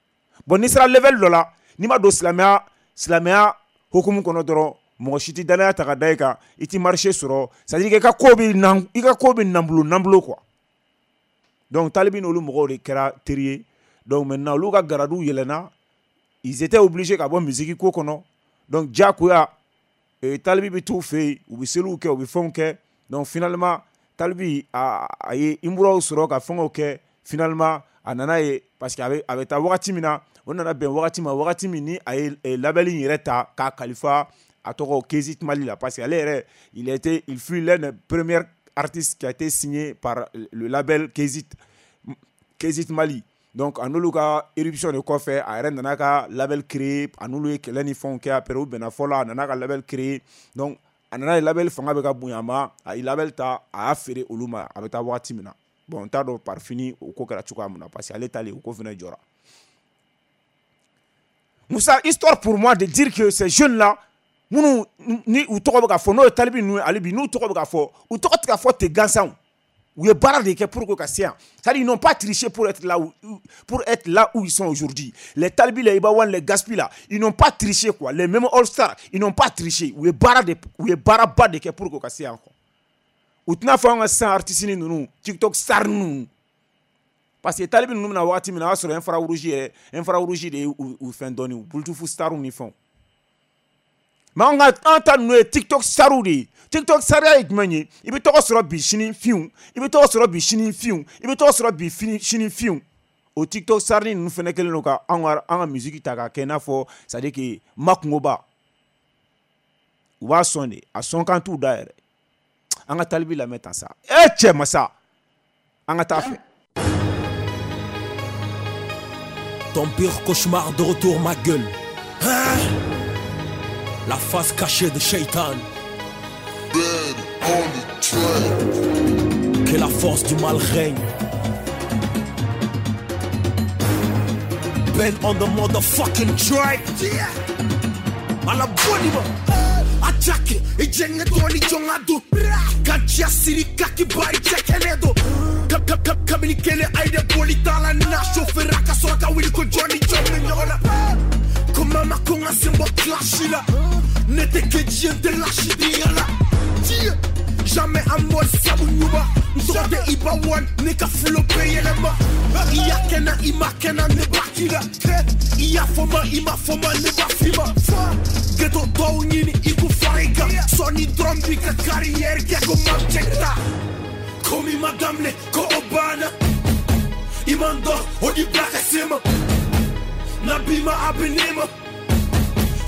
B: Bon, n'i sera level dɔ la, n'i ma don silamɛya silamɛya hukumu kɔnɔ dɔrɔn, mɔgɔ si tɛ danaya ta ka da i kan, i ti marché sɔrɔ, c'est à dire que i ka ko bɛ nan i ka ko bɛ nanbulo nanbulo quoi. Donc Talibi n'olu mɔgɔw de kɛra teri ye. Donc maintenant olu ka grade yɛlɛnna, ils étaient obligés ka bɔ musique ko kɔnɔ. Donc diyagoya Talibi bɛ t'u fɛ yen, u bɛ seliw kɛ, u bɛ fɛnw kɛ. Donc finalement Talibi a a ye imuraw sɔrɔ ka fɛngɛw kɛ. Finalement a nana ye, parce que a bɛ a bɛ taa wagati min na, o nana bɛn wagati ma, wagati min ni a ye label in yɛrɛ ta k'a kalifa a tɔgɔ Kézit Mali la, parce que ale yɛrɛ, il était il fut l'un des premiers artistes qui a été signé par le label Kézit Kézit Mali. Donc a n'olu ka éruption de kɔfɛ, a yɛrɛ nana ka label créer. A n'olu ye kɛlɛ ni fɛnw kɛ, après u bɛnna fɔ la, a nana ka label créer. Donc a nana ye label fanga bɛ ka bonya a ma, a ye label ta, a y'a feere olu ma. A bɛ taa wagati min na, bon, n t'a dɔn par fini o ko kɛra cogoya min na, parce que ale talen, o ko fana jɔra. Musa, histoire pour moi de dire que ces jeunes là minnu ni u tɔgɔ bɛ ka fɔ, n'o ye Talibi ninnu ye, hali bi n'u tɔgɔ bɛ ka fɔ, u tɔgɔ tɛ ka fɔ ten gansan. U ye baara de kɛ pour que ka se yan. C'est-à-dire ils n'ont pas triché pour être là où, pour être là où ils sont aujourd'hui. Les Tal B, les Iba One, les Gaspi là, ils n'ont pas triché quoi. Les mêmes All Stars, ils n'ont pas triché. U ye baara de, u ye baaraba de kɛ pour que ka se yan quoi. U tɛna fɔ an ka sisan artiste ninnu, TikTok star ninnu. Parce que Tal B ninnu bɛna wagati min na, o y'a sɔrɔ infrarouge yɛrɛ, infrarouge de ye u fɛn dɔɔni, Bluetooth star ni fɛnw. Mais an ka an ta ninnu ye TikTok starw de ye. TikTok sariya ye jumɛn ye? I bɛ tɔgɔ sɔrɔ bi sini finw, i bɛ tɔgɔ sɔrɔ bi sini finw, i bɛ tɔgɔ sɔrɔ bi sini finw. O TikTok star ninnu fɛnɛ kɛlen don ka an ka an ka musique ta k'a kɛ i n'a fɔ c'est à dire que makungoba. U b'a sɔn de, a sɔn kan t'u da yɛrɛ. An ka Tal B lamɛn tan sa. E cɛ masa, an ka taa fɛ.
A: Ton pire cauchemar de retour, ma gueule. Hein? La face cachée de Shaitan. Que la force du mal règne. Ben on the motherfucking track. Yeah. À la bonne attaque et jenga doni jonga do. Gacha siri kaki bari chekenedo. Kap kap kap kabini kele aide boli tala na chauffeur ka soraka wili ko Johnny Johnny nyona. Comme ma konga sembo clash la. N'était que Dieu de lâcher la. Jamais à moi sabu nyuba. Nsote Iba One neka flow payelema. Iya kena ima kena ne bakila. Iya foma ima foma ne bafima. Ghetto to nyini iku farika. Sony drum bika carrière ke ko mancheta. Komi madame le ko obana. Imando odi blaka sema. Nabima abenema.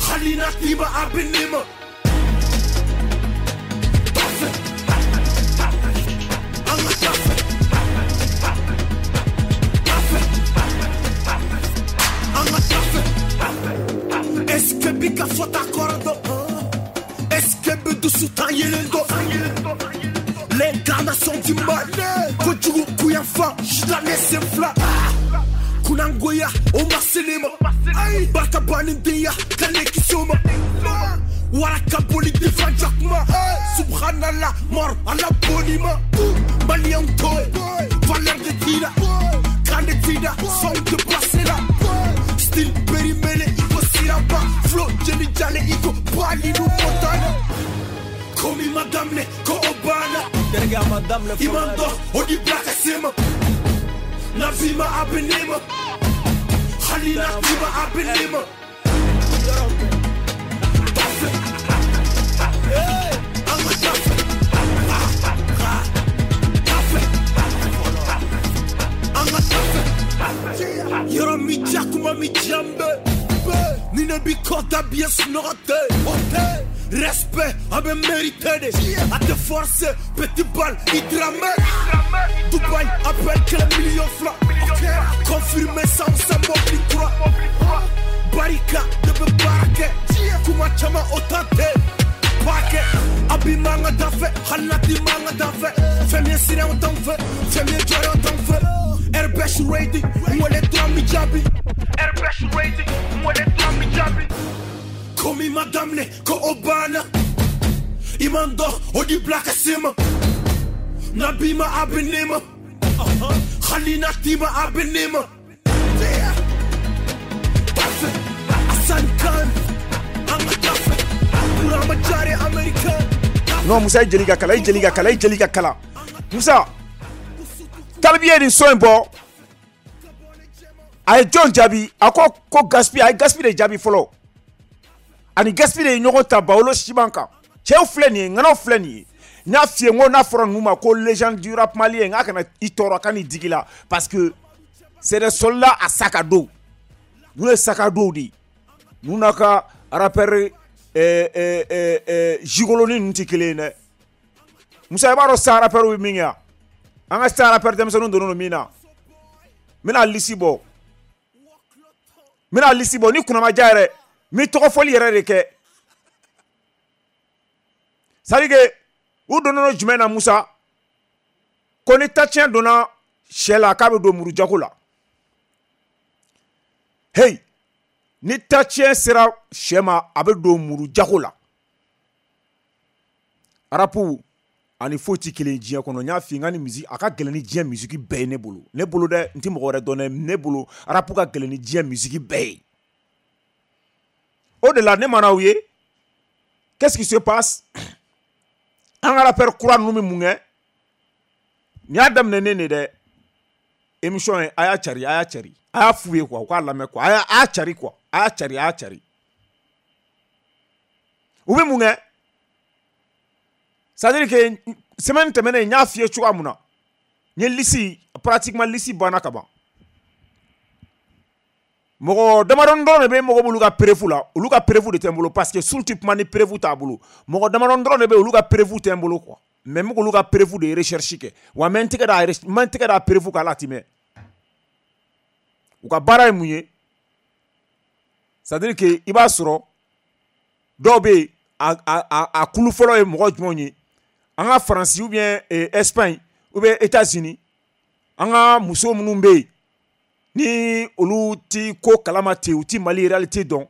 A: Halina tiba abenema. Est-ce que bika fota kordo? Est-ce que bedu sutan yelendo? L'incarnation du mal. Kojugu kuyanfa, jidane senfla. Kunangoya, o maselema. Barka banindeya, kale kisoma. Waraka boli difa jakma. Subhanallah, mort à la bonima. Malian toy, valeur de tira. Kane tira, son de passer là. Style périmélé, iko siraba. Flow, jelly jale, iko bali nou montana. Komi madame le, ko obana. Imando, odi blaka sema. Nabima abenema. Halina tiba abenema. Yɔrɔ mi ja kuma mi jambe. Ni ne bi kɔta bien sunɔgɔ tɛ. Respect a bɛ mérité de. A tɛ forcer petit bal i dramɛ. Dubaï appelle kɛlɛ million fila. Confirmé san san mobili kura. Barika de bɛ baara kɛ. Kuma caman o ta tɛ. Paquet, abi manga dafe, halati manga dafe. Fɛn ye siran t'anw fɛ, fɛn ye jɔyɔrɔ t'anw fɛ. Airbus ready, mwele dɔrɔn mi jaabi. Airbus ready, mwele dɔrɔn mi jaabi. Komi madame le, ko o banna. I man dɔn, o di bila ka se ma. Nabi ma a bɛ ne ma. Hali n'a t'i ma a bɛ ne ma. Parfait, Hassan Khan, an ka taa fɛ.
B: Non, Moussa, i jeli ka kala, i jeli ka kala, i jeli ka kala. Moussa, Tal B ye nin son in bɔ. A ye jɔn jaabi? A ko ko Gaspi, a ye Gaspi de jaabi fɔlɔ. Ani Gaspi de ye ɲɔgɔn ta Bawolo siman kan. Cɛw filɛ nin ye, ŋanaw filɛ nin ye. N y'a f'i ye n ko n'a fɔra ninnu ma ko légende du rap malien, n k'a kana i tɔɔrɔ, a ka n'i digi la. Parce que c'est des soldats à sac à dos. Ninnu ye sac à dos de ye. Ninnu n'a ka rappeur Eh, eh, eh, eh, gigoloni ninnu tɛ kelen ye dɛ. Musa, i b'a dɔn sisan rappeur bɛ min kɛ yan? An ka sisan rappeur denmisɛnninw donnen don min na. N bɛna liste bɔ. N bɛna liste bɔ ni kunna ma diya yɛrɛ, n bɛ tɔgɔ fɔli yɛrɛ de kɛ. C'est à dire que u donnen don jumɛn na Musa? Ko ni tacɛn donna sɛ la k'a bɛ don muru jago la. Hey! Ni tacɛn sera sɛ ma a bɛ don muru jago la. Arapu Ani foyi ti kelen diɲɛ kɔnɔ. N y'a f'i ye, n ka ni musique a ka gɛlɛn ni diɲɛ musique bɛɛ ye ne bolo. Ne bolo dɛ, n ti mɔgɔ wɛrɛ dɔn dɛ, ne bolo rap ka gɛlɛn ni diɲɛ musique bɛɛ ye. O de la ne mana aw ye, qu'est-ce qui se passe? An ka rappeur kura ninnu bɛ mun kɛ? Nin y'a daminɛ ne de dɛ. Émission ye, a y'a cari, a y'a cari, a y'a f'u ye quoi, u k'a lamɛn quoi, a y'a a y'a cari quoi, a y'a cari, a y'a cari. U bɛ mun kɛ? C'est à dire que semaine tɛmɛnen, n y'a f'i ye cogoya mun na, n ye liste, pratiquement liste banna ka ban. Mɔgɔ damadɔni dɔrɔn de bɛ mɔgɔ b'olu ka preuve la, olu ka preuve de tɛ n bolo, parce que Soul tɛ kuma ni preuve t'a bolo. Mɔgɔ damadɔni dɔrɔn de bɛ, olu ka preuve tɛ n bolo quoi, mais n bɛ k'olu ka preuve de recherche kɛ. Wa n bɛ n tɛgɛ da, n bɛ n tɛgɛ da preuve kan, ala ti mɛn. U ka baara ye mun ye? C'est à dire que i b'a sɔrɔ dɔw bɛ yen, a a a kulu fɔlɔ ye mɔgɔ jumɛnw ye? An ka Faransi ou bien Espagne ou bien États-Unis, an ka muso minnu bɛ yen ni olu ti ko kalama ten, u ti Mali réalité dɔn,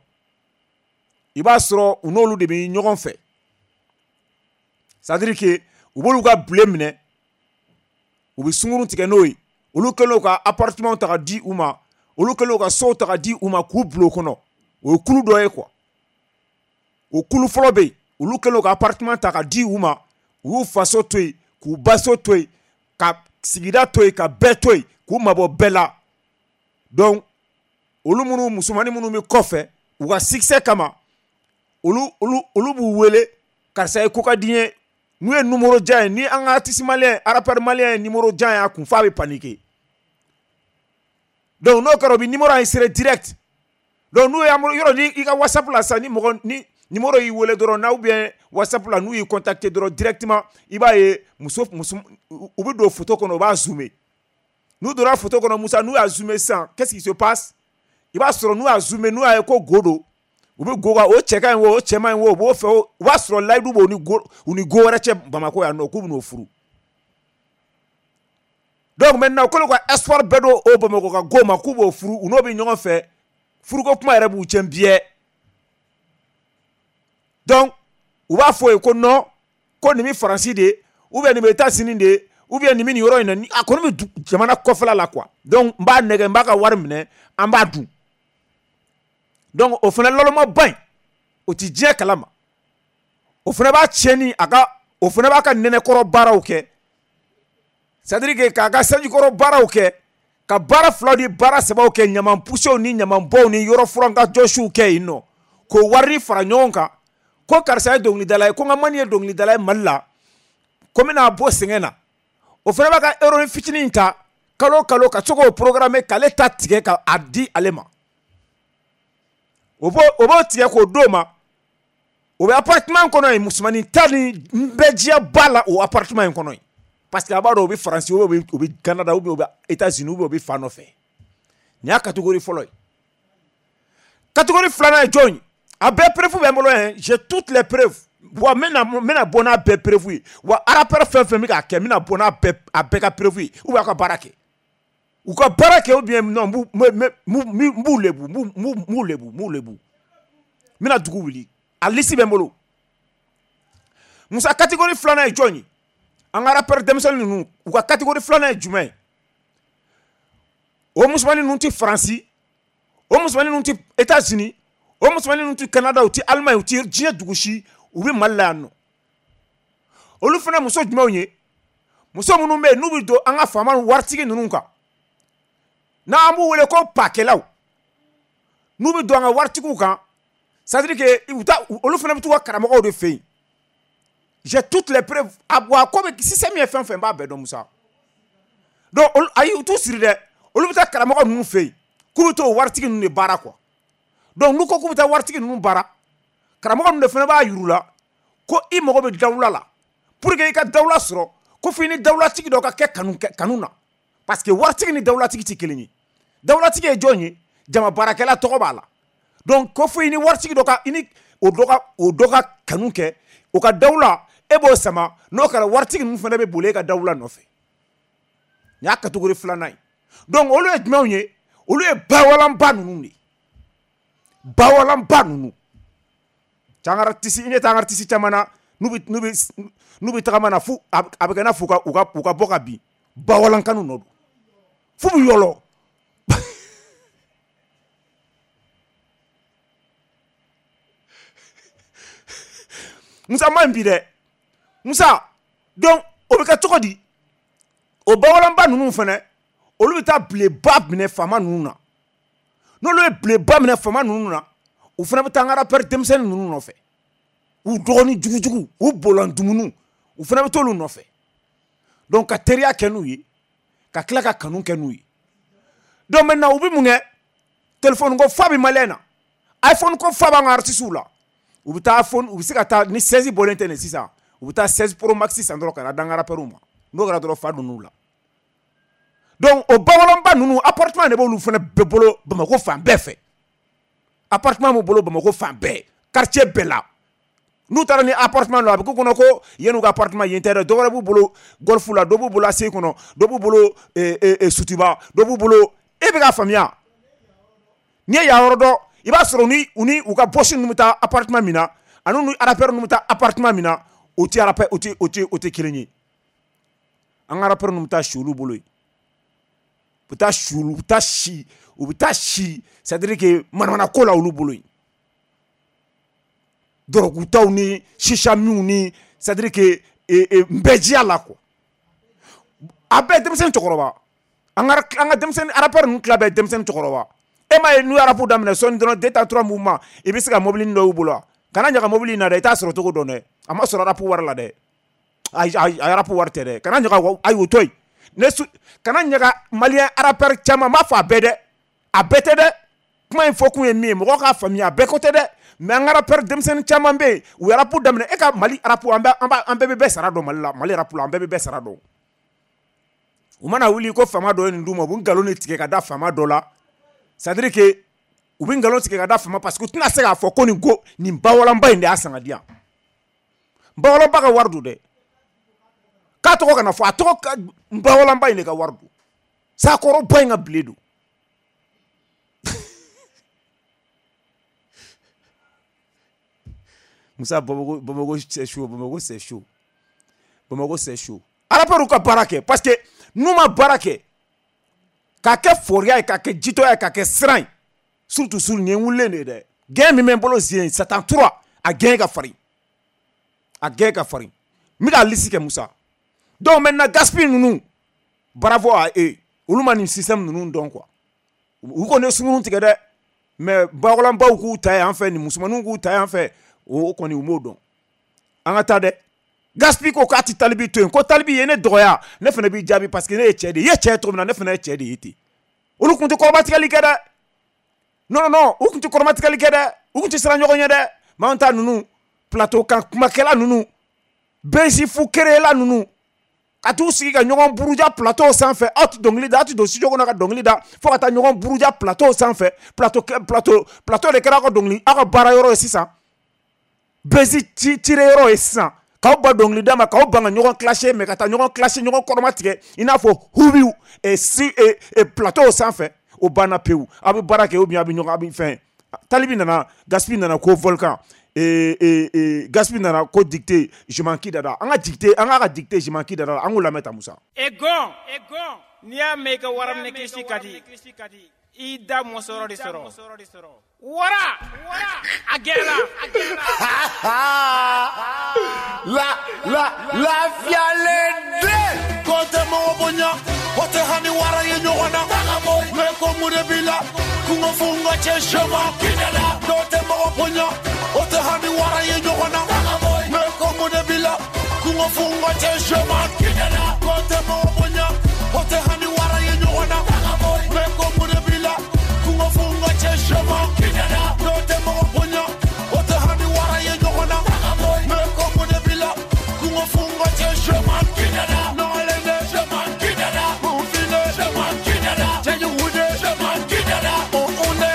B: i b'a sɔrɔ u n'olu de bɛ ɲɔgɔn fɛ. C'est à dire que u b'olu ka bilen minɛ, u bɛ sunkurun tigɛ n'o ye. Olu kɛlen don ka appartement ta ka di u ma, olu kɛlen don ka sow ta ka di u ma k'u bila o kɔnɔ. O ye kulu dɔ ye quoi. O kulu fɔlɔ bɛ yen, olu kɛlen don ka appartement ta ka di u ma, u y'u faso to yen, k'u baso to yen, ka sigida to yen, ka bɛɛ to yen, k'u mabɔ bɛɛ la. Donc olu minnu, musomanin minnu bɛ kɔfɛ u ka succès kama, olu olu olu b'u wele: karisa ye ko ka di n ye. N'u ye numéro jan ye, ni an ka artiste malien, rappeur malien ye numéro jan ye a kun, f'a bɛ paniquer. Donc n'o kɛra, u bɛ numéro enregistré direct. Donc n'u ye yɔrɔ ni i ka WhatsApp la sisan, ni mɔgɔ ni numéro y'i wele dɔrɔn na, ou bien WhatsApp la, n'u y'i contacter dɔrɔn, directement i b'a ye muso muso u bɛ don photo kɔnɔ, u b'a zoomer. N'u donna photo kɔnɔ, Musa, n'u y'a zoomer sisan, qu'est-ce qui se passe? I b'a sɔrɔ n'u y'a zoomer, n'u y'a ye ko go don, u bɛ go kan, o cɛ ka ɲi o, o cɛ man ɲi o, u b'o fɛ. O b'a sɔrɔ layidu b'o ni go u ni go wɛrɛ cɛ Bamakɔ yan nɔ, k'u bɛn'o furu. Donc maintenant u kɛlen ka espoir bɛɛ don o Bamakɔ ka go ma k'u b'o furu, u n'o bɛ ɲɔgɔn fɛ, furuko kuma yɛrɛ b'u cɛ biɲɛ. Donc u b'a fɔ ye ko non, ko nin bɛ Faransi de, ou bien nin bɛ États-Unis de, ou bien nin bɛ nin yɔrɔ in na, a kɔni bɛ jamana kɔfɛla la quoi. Donc n b'a nɛgɛ, n b'a ka wari minɛ, an b'a dun. Donc o fana lɔlɔmaba in, o ti diɲɛ kalama. O fana b'a tiɲɛ a ka, o fana b'a ka nɛnɛkɔrɔ baaraw kɛ, c'est à dire que k'a ka sanjikɔrɔ baaraw kɛ, ka baara fila ni baara sabaw kɛ, ɲaman pusew ni ɲamanbɔw ni yɔrɔ furan ka jɔsiw kɛ yen nɔ, k'o wari fara ɲɔgɔn kan, ko karisa ye dɔnkilidala ye, ko n ka mani ye dɔnkilidala ye Mali la, ko n bɛna bɔ sɛgɛn na. O fana b'a ka héroïne fitinin ta kalo kalo ka se k'o programmer, k'ale ta tigɛ ka a di ale ma. O b'o o b'o tigɛ k'o d'o ma. O bɛ appartement kɔnɔ yen, musomanin ta ni bɛɛ diya ba la o appartement in kɔnɔ yen, parce que a b'a dɔn o bɛ Faransi, ou bien o bɛ Canada, ou bien o bɛ États-Unis, ou bien o bɛ fan nɔfɛ. Nin y'a catégorie fɔlɔ ye. Catégorie filanan ye jɔn ye? A bɛɛ preuve bɛ n bolo yɛn, j'ai toutes les preuves. Wa n bɛna n bɛna bɔ n'a bɛɛ preuve ye. Wa rappeur fɛn fɛn bɛ k'a kɛ, n bɛna bɔ n'a bɛɛ a bɛɛ ka preuve ye, ou bien a ka baara kɛ, u ka baara kɛ, ou bien non, n b'u n b'u lebu, n b'u lebu, n b'u lebu, n bɛna dugu wuli. A liste bɛ n bolo, Musa. Catégorie filanan ye jɔn ye? An ka rappeur denmisɛnnin ninnu, u ka catégorie filanan ye jumɛn ye? O musomanin ninnu tɛ Faransi, o musomanin ninnu tɛ États-Unis, o musomanin ninnu tɛ Canada, u tɛ Allemagne, u tɛ diɲɛ dugu si, u bɛ Mali la yan nɔ. Olu fana muso jumɛnw ye? Muso minnu bɛ yen n'u bɛ don an ka faama waritigi ninnu kan, n'an b'u wele ko pakɛlaw, n'u bɛ don an ka waritigiw kan, c'est à dire que u ta, olu fana bɛ t'u ka karamɔgɔw de fɛ yen. J'ai toutes les preuves. A wa ko bɛ système ye fɛn fɛn, n b'a bɛɛ dɔn, Musa. Donc olu, ayi, u t'u siri dɛ, olu bɛ taa karamɔgɔ ninnu fɛ yen k'u bɛ t'o waritigi ninnu de baara quoi. Donc n'u ko k'u bɛ taa waritigi ninnu baara, karamɔgɔ ninnu de fana b'a yir'u la ko i mago bɛ dawula la. Pour que i ka dawula sɔrɔ, ko f'i ni dawulatigi dɔ ka kɛ kanu kanu na, parce que waritigi ni dawulatigi tɛ kelen ye. Dawulatigi ye jɔn ye? Jama baarakɛla tɔgɔ b'a la. Donc ko fo i ni waritigi dɔ ka, i ni o dɔ ka o dɔ ka kanu kɛ, o ka dawula, e b'o sama. N'o kɛra, waritigi ninnu fana bɛ boli e ka dawula nɔfɛ. Nin y'a catégorie filanan ye. Donc olu ye jumɛnw ye? Olu ye bawalanba ninnu de ye, bawalanba ninnu. Cɛ, an ka artiste, i ɲɛ tɛ an ka artiste caman na. n'u bɛ n'u bɛ n'u bɛ tagama na fo a bɛ kɛ i n'a fɔ u ka u ka u ka bɔ ka bin bawalankanu nɔ don f'u bɛ yɔlɔ. Musa ma ɲi bi dɛ Musa. Donc o bɛ kɛ cogo di? O bawalanba ninnu fana olu bɛ taa bileba minɛ faama ninnu na. N'olu ye bileba minɛ faama ninnu na, u fana bɛ taa an ka rappeur denmisɛnnin ninnu nɔfɛ, u dɔgɔnin jugujugu, u bɔlɔn dumuniw, u fana bɛ t'olu nɔfɛ. Donc ka teriya kɛ n'u ye, ka tila ka kanu kɛ n'u ye. Donc maintenant u bɛ mun kɛ? Téléphone ko fa bɛ malien na, iPhone ko fa b'an ka artistes la. U bɛ taa iPhone, u bɛ se ka taa ni seize bɔlen tɛ nin sisan, u bɛ taa seize Pro Max san dɔrɔn ka na d'an ka rappeurs ma. N'o kɛra dɔrɔn fa donn'u la. Donc o bawalanba ninnu appartement de b'olu fana bɛɛ bolo Bamakɔ fan bɛɛ fɛ. Appartement b'u bolo Bamakɔ fan bɛɛ, quartier bɛɛ la. N'u taara ni appartement la, a bɛ k'u kɔnɔ ko yen n'u ka appartement yen tɛ dɛ, dɔ wɛrɛ b'u bolo golf la, dɔ b'u bolo A C kɔnɔ, dɔ b'u bolo Sotuba, dɔ b'u bolo. E bɛ k'a faamuya? N'i ye yan yɔrɔ dɔn, i b'a sɔrɔ ni u ni u ka boss ninnu bɛ taa appartement min na, ani ni rappeur ninnu bɛ taa appartement min na, o tɛ rappeur o tɛ o tɛ o tɛ kelen ye. An ka rappeur ninnu bɛ taa si olu bolo yen. U bɛ taa si u bɛ taa si u bɛ taa si, c'est à dire que manamana ko la olu bolo yen. Dɔrɔgutaw ni shisha minw ni, c'est à dire que nbɛjiya la quoi. A bɛɛ denmisɛnnin cɛkɔrɔba. An ka an ka denmisɛnnin rappeur ninnu tila bɛɛ denmisɛnnin cɛkɔrɔba. E m'a ye n'u ye rap daminɛ sɔɔni dɔrɔn deux temps trois mouvements, i bɛ se ka mobili dɔ y'u bolo wa? Kana ɲaga mobili in na dɛ, i t'a sɔrɔ cogo dɔn dɛ. A ma sɔrɔ rap wari la dɛ. Ayi ayi, a rap wari tɛ dɛ. Kana ɲaga, ayi o to yen. Ne su kana ɲaga malien rappeur caman, n b'a fɔ a bɛɛ dɛ. A bɛɛ tɛ dɛ. Kuma in fɔ kun ye min ye, mɔgɔw k'a faamuya, a bɛɛ ko tɛ dɛ. Mais an ka rappeur denmisɛnnin caman bɛ yen, u ye rap daminɛ. E ka Mali rap, an bɛ an b'a an bɛɛ bɛ bɛɛ sara dɔn Mali la, Mali rap la, an bɛɛ bɛ bɛɛ sara dɔn. U mana wuli ko faama dɔ ye nin d'u ma, u bɛ nkalon de tigɛ ka da faama dɔ la. C'est à dire que u bɛ nkalon tigɛ ka da faama, parce que u tɛna se k'a fɔ ko nin ko nin bawalanba in de y'a san ka di yan. Bawalanba ka wari don dɛ. K'a tɔgɔ kana fɔ, a tɔgɔ ka bawalanba in de ka wari don. Sakɔrɔba in ka bile don. Musa, Bamako, Bamako c'est chaud, Bamako c'est chaud. Bamako c'est chaud. Rappeur ka baara kɛ, parce que n'u ma baara kɛ k'a kɛ foriya ye, k'a kɛ jitɔya ye, k'a kɛ siran ye, surtout sur nin ye n wulilen de ye dɛ. Gɛn min bɛ n bolo sen Satan trois, a gɛn ka farin. A gɛn ka farin. N bɛ k'a lisi kɛ Musa. Donc maintenant Gaspi ninnu, bravo à eux. Olu ma nin système ninnu dɔn quoi. U kɔni ye sunkurun tigɛ dɛ. Mais bawalanbaw k'u ta yan fɛ, ni musomaninw k'u ta yan fɛ, o kɔni u m'o dɔn. An ka taa dɛ. Gaspi ko k'a ti Talibi to yen, ko Talibi ye ne dɔgɔya, ne fana b'i jaabi parce que ne ye cɛ de ye. I ye cɛ ye cogo min na, ne fana ye cɛ de ye ten. Olu kun tɛ kɔrɔmatigɛli kɛ dɛ. Non non non, u kun tɛ kɔrɔmatigɛli kɛ dɛ. U kun tɛ siran ɲɔgɔn ɲɛ dɛ. Mais an ta ninnu, plateau kan kumakɛla ninnu, bɛnsi fu kerela ninnu, ka t'u sigi ka ɲɔgɔn buruja plateau sanfɛ. Aw tɛ dɔnkili da, aw tɛ don studio kɔnɔ ka dɔnkili da, fo ka taa ɲɔgɔn buruja plateau sanfɛ. Plateau plateau plateau de kɛra aw ka dɔnkili, aw ka baara yɔrɔ ye sisan. Bɛnsi ci tire yɔrɔ ye sisan. K'aw ba dɔnkili da ma, k'aw ban ka ɲɔgɔn clasher, mais ka taa ɲɔgɔn clasher, ɲɔgɔn kɔrɔma tigɛ i n'a fɔ hubiw si plateau sanfɛ. O banna pewu. Aw bɛ baara kɛ ou bien aw bɛ ɲɔgɔn, aw bɛ fɛn. Talibi nana, Gaspi nana ko volcan, Gaspi nana ko dictée je m'en qui dada. An ka dictée, an k'a ka dictée je m'en qui dada, an k'o lamɛn ta Musa.
C: E gɔn, n'i y'a mɛn i ka waraminɛ kisi ka di, i da mɔsɔrɔ de sɔrɔ. Wara, a gɛlɛla.
A: La la lafiyalen den. Ko tɛ mɔgɔ bonya, o tɛ hami wara ye ɲɔgɔn na. Mais ko mun de b'i la, kungo funga cɛ sɛma. Dɔw tɛ mɔgɔ bonya, o tɛ hami wara ye ɲɔgɔn na. Mais ko mun de b'i la, kungo funga cɛ sɛma. Ko tɛ mɔgɔ bonya, o tɛ hami wara ye ɲɔgɔn na. Mais ko mun de b'i la, kungo funga cɛ sɛma. Dɔw tɛ mɔgɔ bonya, o tɛ hami wara ye ɲɔgɔn na. Mais ko mun de b'i la, kungo funga cɛ sɛma. Nɔgɔlen dɛ, kunfinne, cɛjugu dɛ, o un dɛ,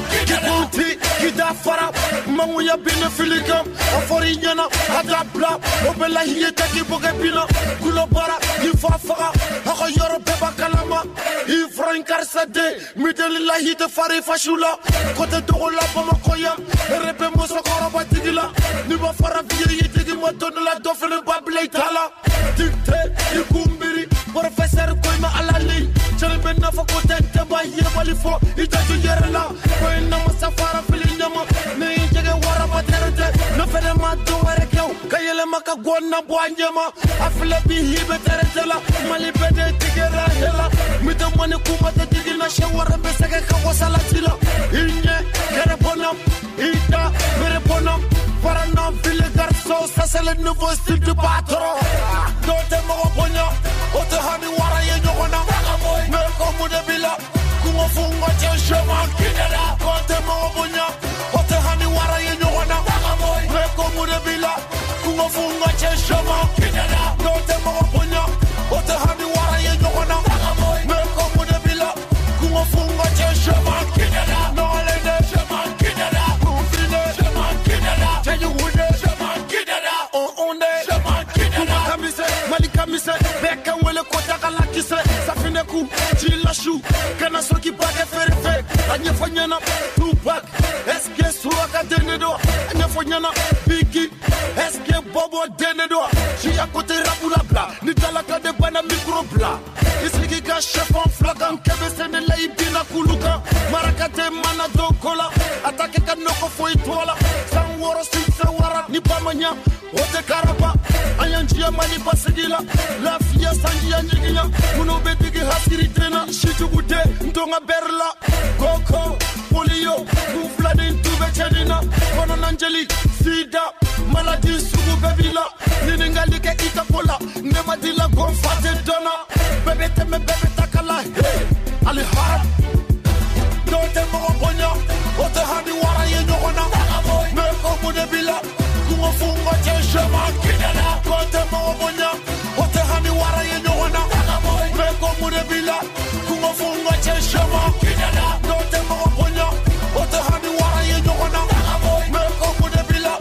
A: k'i kunti, k'i da fara, mangu ya bine filikam A fɔr'i ɲɛna a t'a bila o bɛɛ la i ye taki bɔ kɛ bin na kulo baara i fa faga a ka yɔrɔ bɛɛ b'a kalama i fura in karisa den mideli la i tɛ fari fasiw la ko tɛ dogo la Bamakɔ yan ere bɛ musokɔrɔba tigi la n'i ma fara fiye i tigi ma don dɔ la dɔ fɛnɛ b'a bila i ta la dicté i kun miiri professeur ko i ma ala li cɛli bɛ n'a fɔ ko tɛ tɛ b'a yebali fɔ i jaju yɛrɛ la ko i namasa fara fili ɲama ne y'i jɛgɛ waraba tɛrɛ tɛ ne fɛnɛ ma dɔ wɛrɛ kɛ o ka yɛlɛma ka gɔn na bɔ a ɲɛma a filɛ bi hi bɛ tɛrɛ tɛ la Mali bɛɛ de tigɛra he la mi tɛ mɔni kuma tɛ digi na sɛ wɛrɛ bɛ sɛgɛ ka wasala ci la i ɲɛ kɛrɛ bɔnna i da bere bɔnna fara na fili garçon ça c'est le nouveau style du patron dɔw tɛ mɔgɔ bonya o tɛ hami wara ye ɲɔgɔn na mais ko mun de b'i la kungo fungo cɛ chemin kidala ko tɛ mɔgɔ bonya o tɛ hami wara ye ɲɔgɔn na mais ko mun de b'i la kungo fungo cɛ chemin kidala dɔw tɛ mɔgɔ bonya o tɛ hami wara ye ɲɔgɔn na mais ko mun de b'i la kungo fungo cɛ chemin kidala nɔgɔlen de chemin kidala kunfine chemin kidala cɛjugu de chemin kidala on on de chemin kidala kuma kamise Mali kamise bɛɛ kan wele ko dakala kisɛ safinɛ ku ji lasu kana sɔrɔ k'i ba kɛ feere fɛ a ɲɛfɔ ɲɛna Tupac est-ce que suraka den de don a ɲɛfɔ ɲɛna Biggie est-ce que Bobo den de don siya ko tɛ rapu labila ni dalaka de banna micro bila i sigi ka sɛfan fila kan kɛmɛ sɛnɛ la i binna kulu kan maraka tɛ mana don ko la a ta kɛ ka nɔgɔ foyi to la san wɔɔrɔ si wara ni ba ma ɲa o tɛ karaba an y'an jiya Mali basigi la lafiya sanjiya ɲiginya minnu bɛ digi hasiri den na sijugu den n don ka bɛri la koko polio kun fila ni tu bɛ cɛnni na kɔnɔnajeli sida maladi sugu bɛɛ b'i la ɲininkali kɛ i ka ko la ne ma di la ko n fa tɛ dɔn na bɛɛ bɛ tɛmɛ bɛɛ bɛ ta kala he alihara dɔw tɛ mɔgɔ bonya o tɛ hami wara ye ɲɔgɔn na mais ko mun de b'i la kungo fungo cɛ chemin kidala ko tɛ mɔgɔ bonya o tɛ hami wara ye ɲɔgɔn na mais ko mun de b'i la kungo fungo cɛ chemin kidala dɔw tɛ mɔgɔ bonya o tɛ hami wara ye ɲɔgɔn na mais ko mun de b'i la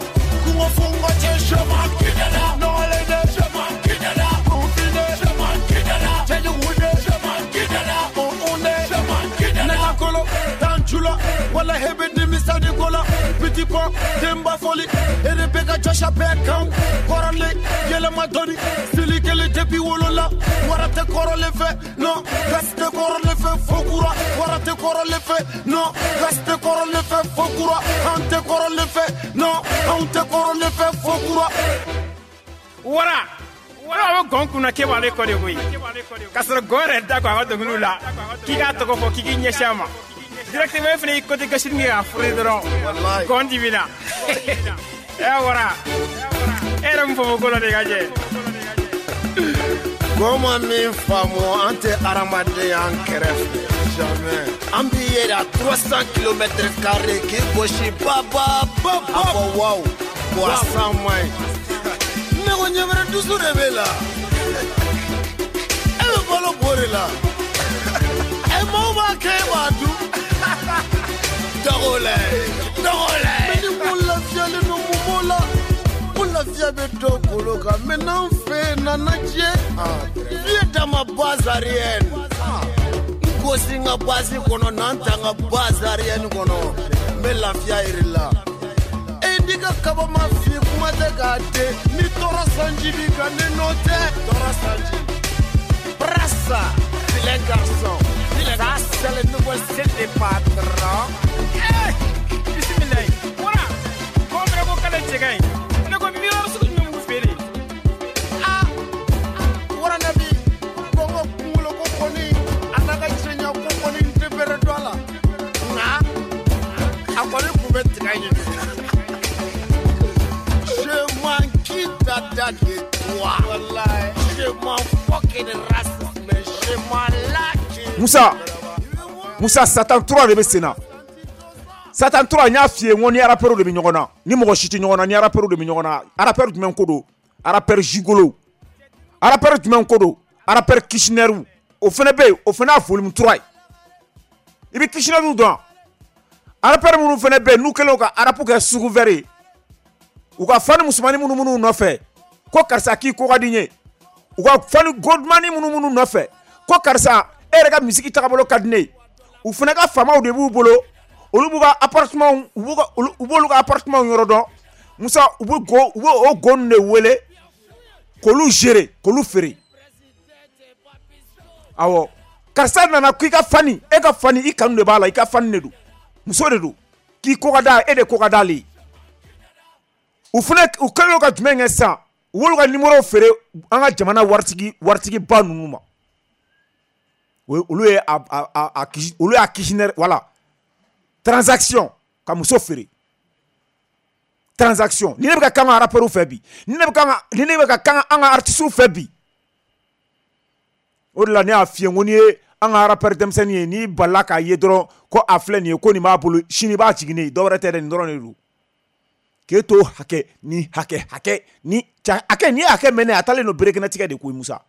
A: kungo fungo cɛ chemin kidala nɔgɔlen de chemin kidala kunfine chemin kidala cɛjugu de chemin kidala on on de chemin kidala ne ka kolo tanjula wala hebe nimisani kola petit pont denba foli ere bɛ ka jɔsi a bɛɛ kan kɔrɔlen yɛlɛma dɔɔni sili kelen depuis wolo la wara tɛ kɔrɔlen fɛ non gasi tɛ kɔrɔlen fɛ fo kura wara tɛ kɔrɔlen fɛ non gasi tɛ kɔrɔlen fɛ fo kura an tɛ kɔrɔlen fɛ non anw tɛ kɔrɔlen fɛ fo kura.
C: Wara wara bɛ gɔn kunna k'e b'ale kɔ de koyi k'a sɔrɔ gɔn yɛrɛ da kɔ a ka dɔnkiliw la k'i k'a tɔgɔ fɔ k'i k'i ɲɛsin a ma directement e fana y'i côté gauche kɛ k'a fure dɔrɔn gɔn dimina e wara e yɛrɛ mun fɔ ko la de ka jɛ.
A: Gɔn ma min faamu an tɛ hadamaden an kɛrɛfɛ jamais an b'i yɛrɛ à trois cents kilomètres carrés k'i gosi ba ba ba a fɔ waw wa san man ɲi ne ko ɲɛmɛrɛ dusu de b'e la e bɛ balo bo de la ɛ maaw b'a kɛ e b'a dun dɔgɔ lɛ dɔgɔ lɛ. Mais ni mun lafiyalen don mun b'o la ko lafiya bɛ dɔw kolo kan mais n'an fɛ yen nana jɛ vieux dans ma base arrière n gosi n ka base kɔnɔ n'an ta n ka base arrière kɔnɔ n bɛ lafiya yɛrɛ la. E n'i ka kaba ma fin kuma tɛ k'a den ni tɔɔrɔ sanji b'i kan ne nɔ tɛ tɔɔrɔ sanji. Brassa vilain garçon ça c'est le nouveau style des patrons.
C: Eh bisimilayi wara gɔn fana ko k'ale cɛ ka ɲi ne ko miroir sugu jumɛn b'u fɛ de.
A: Ah waranabi gɔngɔ kunkolo ko kɔni a n'a ka cɛɲa ko kɔni n tɛ bɛrɛ dɔn a la nka a kɔni kun bɛ tiga ɲini. Je m'en quitte dada de toi. Je m'en fucking raciste mais je m'en lâche.
B: Moussa Moussa Satan trois de bɛ sen na Satan trois n y'a f'i ye n ko ni rappeur de bɛ ɲɔgɔn na ni mɔgɔ si tɛ ɲɔgɔn na ni rappeur de bɛ ɲɔgɔn na rappeur jumɛn ko don rappeur gigolo rappeur jumɛn ko don rappeur Kirchner o fana bɛ yen o fana y'a volume trois ye i bɛ Kirchner dɔn rappeur minnu fana bɛ yen n'u kɛlen don ka rap kɛ sugu vert ye U ka fani musomannin minnu minnu nɔfɛ ko karisa k'i ko ka di n ye, u ka fani godumani minnu minnu nɔfɛ ko karisa e yɛrɛ ka misiki tagabolo ka di ne ye, u fana ka faamaw de b'u bolo, olu b'u ka appartement u b'u ka u b'olu ka appartement yɔrɔ dɔn. Musa, u bɛ go u bɛ o go ninnu de wele k'olu gérer, k'olu feere. Awɔ, karisa nana k'i ka fani, e ka fani i kanu de b'a la, i ka fani de don, muso de don, k'i ko ka d'a e de ko ka d'ale ye. U fana u kɛlen ka jumɛn kɛ sisan, u b'olu ka numéro feere an ka jamana waritigi waritigiba ninnu ma. Olu ye a a a olu y'a kishinɛri, voilà, transaction, ka muso feere, transaction. Ni ne bɛ ka kan ka rappeurs fɛ bi, ni ne bɛ kan ka ni ne bɛ ka kan an ka artistes fɛ bi, o de la ne y'a f'i ye n ko n'i ye an ka rappeur denmisɛnnin ye, n'i balila k'a ye dɔrɔn ko a filɛ nin ye, ko nin b'a bolo, sini b'a jigin ne ye, dɔwɛrɛ tɛ dɛ, nin dɔrɔn de don. K'e to hakɛ ni hakɛ hakɛ ni hakɛ ni hakɛ mɛnɛ, a taalen don berekɛnɛtigɛ de koyi. Musa,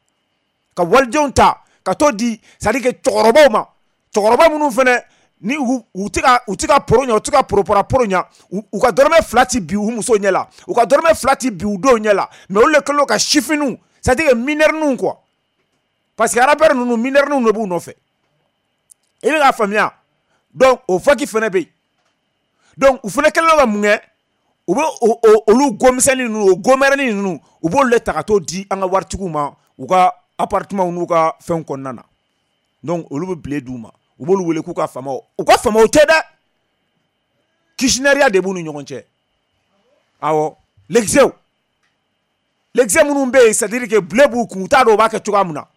B: ka walidenw ta ka t'o di, c'est à dire que cɛkɔrɔbaw ma, cɛkɔrɔba minnu fɛnɛ ni u u tɛ ka u tɛ ka poro ɲɛ, u tɛ ka poropora poro ɲɛ, u ka dɔrɔmɛ fila ti bi u muso ɲɛ la, u ka dɔrɔmɛ fila ti bi u denw ɲɛ la, mais olu de kɛlen don ka sifinw, c'est à dire que minɛriniw quoi, parce que rappeur ninnu minɛriniw de b'u nɔfɛ, i bɛ k'a faamuya. Donc o faki fɛnɛ bɛ yen. Donc u fɛnɛ kɛlen don ka mun kɛ, u bɛ olu gomisɛnnin ninnu, o gomɛrɛnin ninnu, u b'olu de ta ka t'o di an ka waritigiw ma u ka appartement n'u ka fɛnw kɔnɔna na. Donc olu bɛ bile d'u ma, u b'olu wele k'u ka faamaw, u ka faamaw tɛ dɛ, kishinɛriya de b'u ni ɲɔgɔn cɛ. Awɔ, l'exew l'exe minnu bɛ yen, c'est à dire que bile b'u kun, u t'a dɔn u b'a kɛ cogoya min na.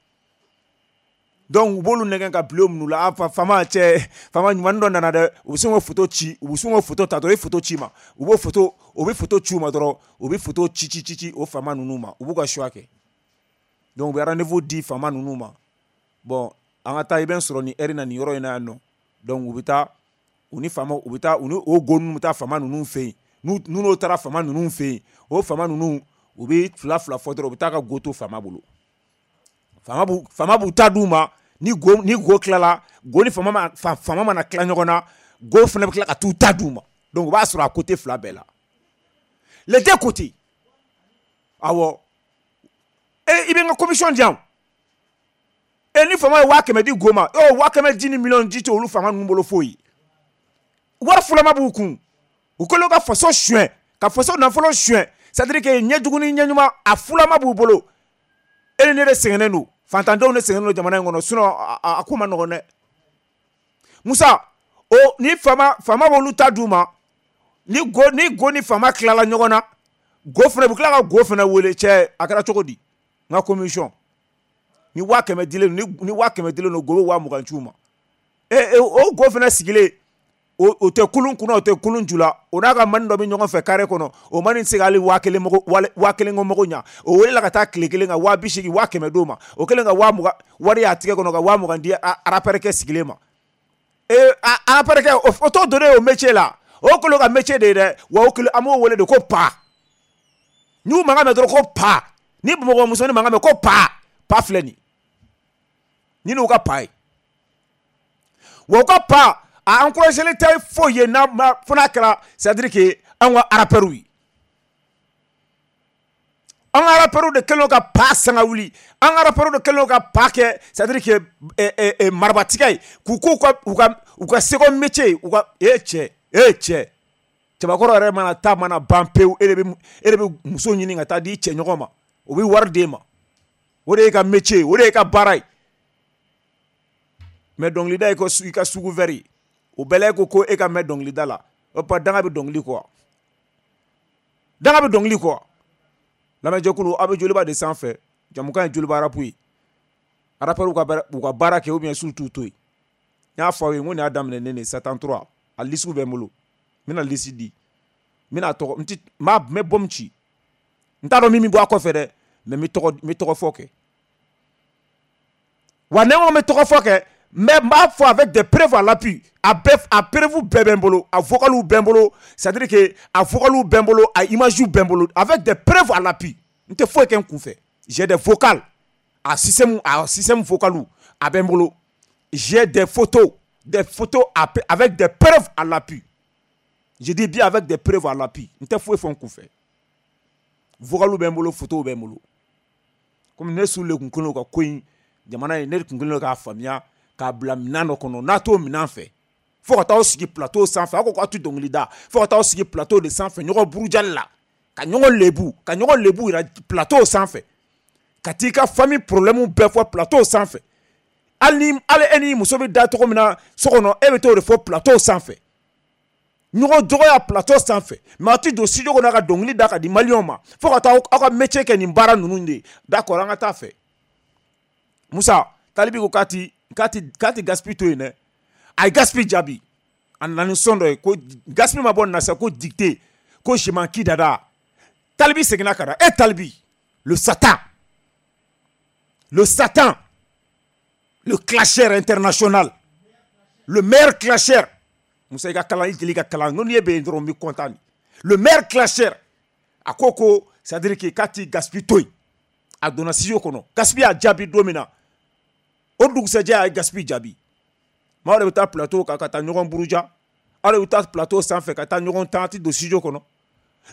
B: Donc u b'olu nɛgɛn ka bile minnu la, a faama cɛ, faama ɲuman dɔ nana dɛ, u bɛ sin k'o photo ci, u bɛ sin k'o photo ta dɔrɔn, i photo ci ma, u b'o photo, u bɛ photo ci u ma dɔrɔn, u bɛ photo ci ci ci ci o faama ninnu ma, u b'u ka choix kɛ. Donc u bɛ rendez-vous di faama ninnu ma, bon an ka taa, i bɛ n sɔrɔ nin heure na nin yɔrɔ in na yan nɔ. Donc u bɛ taa u ni faama, u bɛ taa u ni o go ninnu bɛ taa faama ninnu fɛ yen, n'u n'o taara faama ninnu fɛ yen, o faama ninnu u bɛ fila fila fɔ dɔrɔn, u bɛ taa ka go to faama bolo, faama b'u faama b'u ta d'u ma. Ni go ni go tilala, go ni faama ma faama mana tila ɲɔgɔn na, go fana bɛ tila ka t'u ta d'u ma. Donc u b'a sɔrɔ a côté fila bɛɛ la, les deux côtés. Awɔ, e i bɛ n ka commission di yan, e ni faama ye waa kɛmɛ di go ma, e waa kɛmɛ di ni miliyɔn di tɛ olu faama ninnu bolo foyi, wari fulama b'u kun, u kɛlen ka faso suɲɛ, ka faso nafolo suɲɛ, c'est à dire que ɲɛjugu ni ɲɛɲuman a fulama b'u bolo. E ni ne de sɛgɛnnen don, fantandenw de sɛgɛnnen don jamana in kɔnɔ, sinon a, a ko ma nɔgɔn dɛ. Musa, o ni faama faama b'olu ta d'u ma, ni go ni go ni faama tilala ɲɔgɔn na, go fana bɛ tila ka go fana wele, cɛ a kɛra cogo di, n ka commission ni waa kɛmɛ dilen ni ni waa kɛmɛ dilen don, go bɛ waa mugan ci u ma. E e o go fana sigilen, o o tɛ kulun kunna, o tɛ kulun ju la, o n'a ka mani dɔ bɛ ɲɔgɔn fɛ carré kɔnɔ, o mani tɛ se k'ale waa kelen mago waa kelen ko mago ɲa, o welela ka taa tile kelen ka waa bi seegin waa kɛmɛ d'o ma, o kɛlen ka waa mugan wari y'a tigɛ kɔnɔ ka waa mugan di rappeur kɛ sigilen ma. E rappeur kɛ o t'o donnen o métier la, o kɛlen ka métier de ye dɛ, wa o kɛlen an b'o wele de ko pa. N'u mankan mɛn dɔrɔn ko pa, ni Bamakɔ musonin mankan mɛn ko pa, pa filɛ nin, ni n'u ka pa ye, wa u ka pa a encouragé tɛ foyi ye n'a ma fo n'a kɛra, c'est à dire que an ka rappeurs ye, an ka rappeurs de kɛlen ka pa sanga wuli, an ka rappeurs de kɛlen ka pa kɛ, c'est à dire que ɛ ɛ marabatigɛ ye, k'u k'u ka u ka u ka second métier, u ka e cɛ e cɛ cɛbakɔrɔ yɛrɛ mana taa mana ban pewu, e de bɛ e de bɛ muso ɲini ka taa di i cɛ ɲɔgɔn ma, o bɛ wari d'e ma, o de y'e ka métier, o de y'e ka baara ye. Mais dɔnkilida ye i ka sugu wɛrɛ ye, o bɛɛ la e ko ko e ka mɛn dɔnkilida la, o pa danga bɛ dɔnkili kɔ, danga bɛ dɔnkili kɔ. Lamɛnjɛkulu, aw bɛ Joliba de sanfɛ, jamukan ye Joliba rap ye, rappeurs ka u ka baara kɛ ou bien surtout to yen. N y'a fɔ aw ye n ko nin y'a daminɛ ne de Satan trois, a liste bɛ n bolo, n bɛna liste di, n bɛna tɔgɔ n ti n b'a n bɛ bɔmu ci, n t'a dɔn min bɛ bɔ a kɔfɛ dɛ, mais n bɛ tɔgɔ n bɛ tɔgɔ fɔ kɛ, wa ne ko n bɛ tɔgɔ fɔ kɛ, mais n b'a fɔ avec des preuves à l'appui, a bɛɛ a preuve bɛɛ bɛ n bolo, a vocaliw bɛ n bolo, c'est à dire que a vocaliw bɛ n bolo, a image bɛ n bolo, avec des preuves à l'appui. N tɛ foyi kɛ n kun fɛ, j'ai des vocales, a système a système vocaliw a bɛ n bolo, j'ai des photos, des photos avec des preuves à l'appui. Je dis bien avec des preuves à l'appui. N tɛ foyi fɔ n kun fɛ. Vocalu bɛ n bolo, photo bɛ n bolo. Komi ne su le kun kelen ka ko in jamana in, ne kun kelen k'a faamuya k'a bila minɛn dɔ kɔnɔ, n'a t'o minɛn fɛ fo ka t'aw sigi plateau sanfɛ, aw ko k'aw tɛ dɔnkili da, fo ka t'aw sigi plateau de sanfɛ ɲɔgɔn burujali la, ka ɲɔgɔn lebu, ka ɲɔgɔn lebu yira plateau sanfɛ, ka t'i ka famille problème bɛɛ fɔ plateau sanfɛ. Hali ni hali e ni muso bɛ da cogo min na so kɔnɔ, e bɛ t'o de fɔ plateau sanfɛ, ɲɔgɔn dɔgɔya plateau sanfɛ. Mais aw tɛ don studio kɔnɔ ka dɔnkili da ka di maliyɛnw ma, fo ka taa aw ka métier kɛ nin baara ninnu de ye. D'accord, an ka taa fɛ. Musa Talibi ko k'a ti k'a ti k'a ti Gaspi to yen dɛ. A ye Gaspi jaabi, a nana ni son dɔ ye ko Gaspi ma bɔ nin na sisan, ko dictée, ko je m'en qui dada. Talibi seginna ka na, e Talibi, le Satan, le Satan, le clasher international, le meilleur clasher. Musa i ka kalan, i jeli ka kalan, n'o ye bɛ yen dɔrɔn n bɛ content. Le meilleur clasher, a ko ko c'est à dire que k'a ti Gaspi to yen. A donna studio kɔnɔ, Gaspi y'a jaabi don min na, o dugusɛjɛ a ye Gaspi jaabi. Maaw de bɛ taa plateau kan ka taa ɲɔgɔn buruja, aw de bɛ taa plateau sanfɛ ka taa ɲɔgɔn tan, ti don studio kɔnɔ.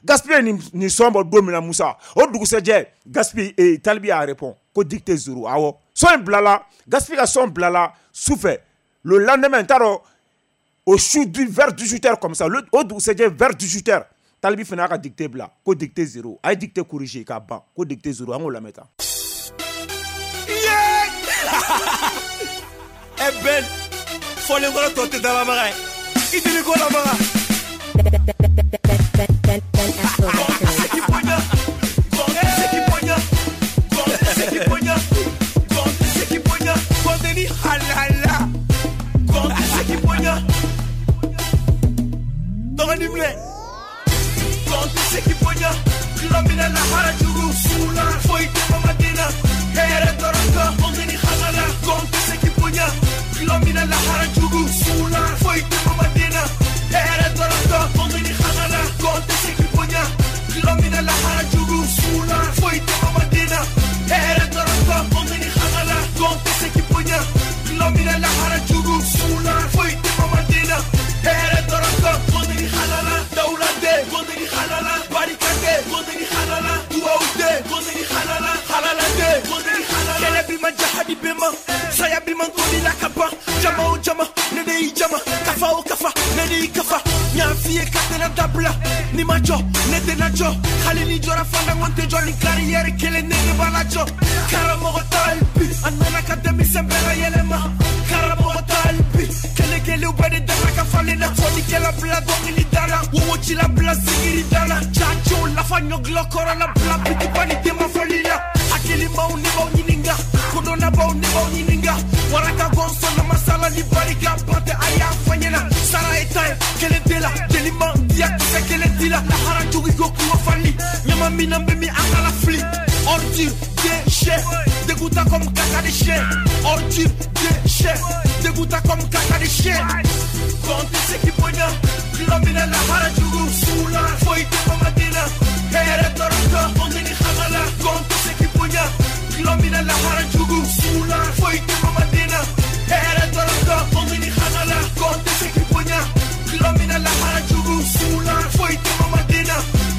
B: Gaspi ye nin nin son bɔ don min na, Musa, o dugusɛjɛ Gaspi eh, Talibi y'a répond ko dictée zéro. Awɔ, son in bilala, Gaspi ka son bilala sufɛ. Le lendemain, n t'a dɔn, au su du vers dix-huit heures comme ça, le o dugusɛjɛ vers dix-huit heures, Talibi fana y'a ka dictée bila ko dictée zéro. A ye dictée corriger k'a ban ko dictée zéro. An k'o lamɛn tan.
D: E Ben, fɔlenkɔrɔ tɔ tɛ dalabaga ye, i deli ko labaga.
E: Ben, Ben, Ben Afro Records.
D: Seki bonya, seki bonya, seki bonya, seki bonya, kɔntɛ halala, seki bonya. Dɔgɔnin minɛ, kɔntɛ seki bonya, tulo minɛ lahara jugu, sula foyi tɛ mamaden na, hɛrɛ dɔrɔn kan, kɔntɛ ni halala, kɔntɛ seki bonya, tulo minɛ lahara jugu, sula foyi tɛ mamaden na, hɛrɛ dɔrɔn kan, kɔntɛ ni halala, kɔntɛ seki bonya, tulo minɛ lahara jugu, sula foyi tɛ mamaden na, hɛrɛ dɔrɔn kan, kɔntɛ ni halala, kɔntɛ seki bonya, tulo minɛ lahara jugu, sula foyi tɛ mamaden na, hɛrɛ dɔrɔn kan, kɔntɛ ni halala, dawuladen, kɔntɛ ni halala, barikaden, kɔntɛ ni halala, duwawuden, kɔntɛ ni halala, halaladen, kɔntɛ ni halala. Kɛlɛ bi ma jahadi bɛ ma, saya bi ma toli la ka ban, jama o jama, ne de y'i jama, kafa o kafa, ne de y'i kafa, n y'a f'i ye k'a tɛna dabila, n'i ma jɔ, ne tɛna jɔ, hali ni jɔra fana n ko n tɛ jɔ, ni carrière kelen ne de b'a lajɔ. Karamɔgɔ Talibi, a nana ka denmisɛn bɛɛ layɛlɛma, karamɔgɔ Talibi, kelen kelenw bɛɛ de dara ka falen na, fɔlikɛla bila dɔnkili da la, wowocila bila sigiri da la, cacow lafa ɲɔgulɔ kɔrɔ la, bila bitiba ni denba fɔli la, hakilimaw ne b'aw ɲininka, kodɔnnabaw ne b'aw ɲininka, waraka gɔnsɔn na masala ni barika ban tɛ a y'a fɔ ɲɛna, sara ye tan ye, kelen tɛ la, jeli man diya kisɛ kelen ti la, lahara jugu ko kungo fali, ɲama min na bɛ min an kana fili, ordure déchet, dégoûtant comme caca de chien, ordure déchet, dégoûtant comme caca de chien. Kɔntɛ seki bonya, tulo minɛ lahara jugu, sula foyi tɛ mamaden na, hɛrɛ dɔrɔn kan, kɔntɛ ni halala, kɔntɛ seki bonya, tulo minɛ lahara jugu, sula foyi tɛ mamaden na, hɛrɛ dɔrɔn kan, kɔntɛ ni halala, kɔntɛ seki bonya, tulo minɛ lahara jugu, sula foyi tɛ mamaden na,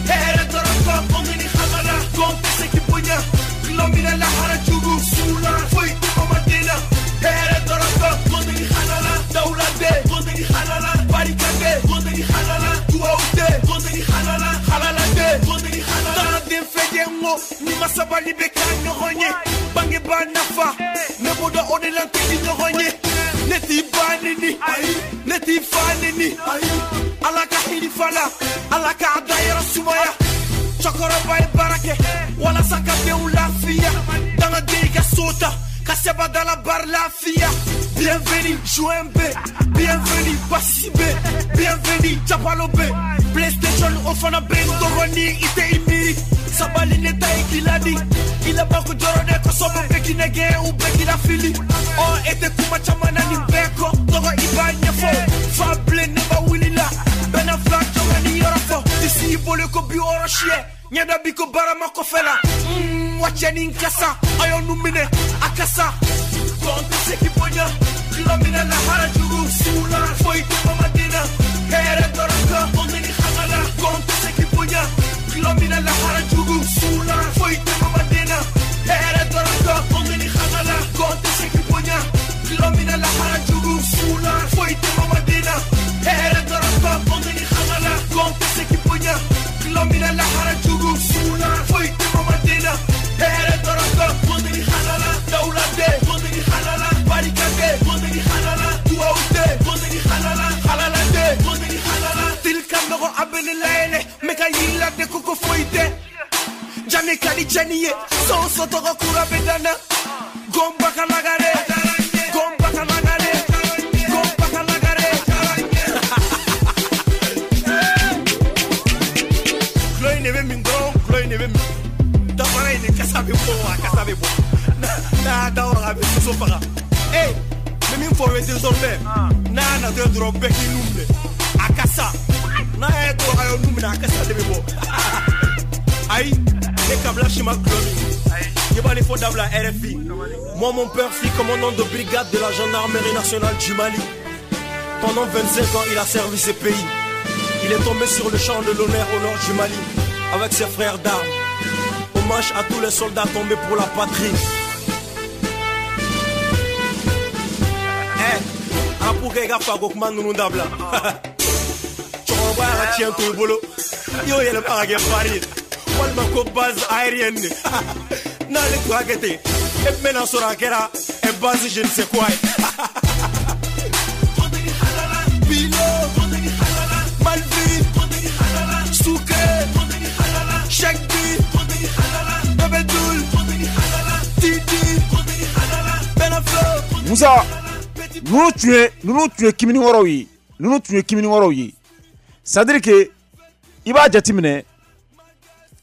D: hɛrɛ dɔrɔn kan, kɔntɛ ni halala, kɔntɛ seki bonya, tulo minɛ lahara jugu, sula foyi tɛ mamaden na, hɛrɛ dɔrɔn kan, kɔntɛ ni halala, dawuladen, kɔntɛ ni halala, barikaden, kɔntɛ ni halala, duwawuden, kɔntɛ ni halala, halaladen, kɔntɛ ni halala. Dangaden fɛn n ko ni ma sabali bɛ k'a ɲɔgɔn ye, bangebaa nafa, ne b'o dɔn o de la n tɛ di ɲɔgɔn ye, ne t'i ba neni, ne t'i fa neni, Ala ka hinɛ fa la, Ala k'a dayɔrɔ sumaya, cɛkɔrɔba ye baara kɛ walasa ka denw lafiya, dangaden i ka so ta, ka sɛbɛn da la bari lafiya. Bienvenue Joint B, bienvenue Bassi B, bienvenue Japalo B, PlayStation o fana bɛ n dɔgɔnin i tɛ i miiri, sabali ne ta ye k'i ladi, i laban ko jɔrɔ dɛ kosɔbɛ bɛɛ k'i nɛgɛ u bɛɛ k'i lafili, ɔ e tɛ kuma caman na nin bɛɛ kɔ, tɔgɔ i b'a ɲɛfɔ, fa bilen ne ba wuli la, bɛnna fila jɔn ni yɔrɔ fɔ, disi i bolo ko bi wɔɔrɔ siyɛ, ɲɛda bi ko barama kɔfɛ la, mm, wa cɛnin kasa, a y'aw nu minɛ a kasa. Kɔntɛ seki bonya, tulo minɛ lahara jugu, sula foyi tɛ mamaden na, hɛrɛ dɔrɔn kan, kɔntɛ ni halala, kɔntɛ seki bonya, tulo minɛ lahara jugu. A bɛ ne layɛlɛ n bɛ ka yiri la de ko ko foyi tɛ. Jani ka di jɛni ye sɔn tɔgɔ kura bɛ dan na. Gomba ka lagare, gomba ka lagare, gomba ka lagare. Kulo in de bɛ min dɔrɔn, kulo in de bɛ min. Dafara in de kasa bɛ bɔ a kasa bɛ bɔ. N'a y'a da waga a bɛ soso faga. Ee n bɛ min fɔ o ye désormais n'a y'a natɔ ye dɔrɔn bɛɛ k'i nun minɛ. A kasa n'a y'a ye dɔrɔn a y'o nun minɛ a kasa de bɛ bɔ. Ayi ne kabila si ma kulo min. I b'ale fɔ dabila R F I. Moi mon père fut commandant de brigade de la gendarmerie nationale du Mali. Pendant vingt-cinq ans il a servi ce pays. Il est tombé sur le champ de l'honneur au nord du Mali avec ses frères d'armes. Hommage à tous les soldats tombés pour la patrie. Eh, apu kɛ i ka fako kuma ninnu dabila. Cɛkɔrɔba y'a ka tiɲɛ to i bolo. I y'o yɛlɛma ka kɛ fari ye. Walima ko base aérienne de. N'ale tun y'a kɛ ten, e tun bɛna sɔrɔ a kɛra base je ne sais quoi ye. Bilo, Malvi, Souké, Cheikh B, Bébé Doul, Titi, Benaflo.
B: Moussa, ninnu tun ye ninnu tun ye kimini wɔɔrɔw ye ninnu tun ye kimini wɔɔrɔw ye. C'est à dire que i b'a jateminɛ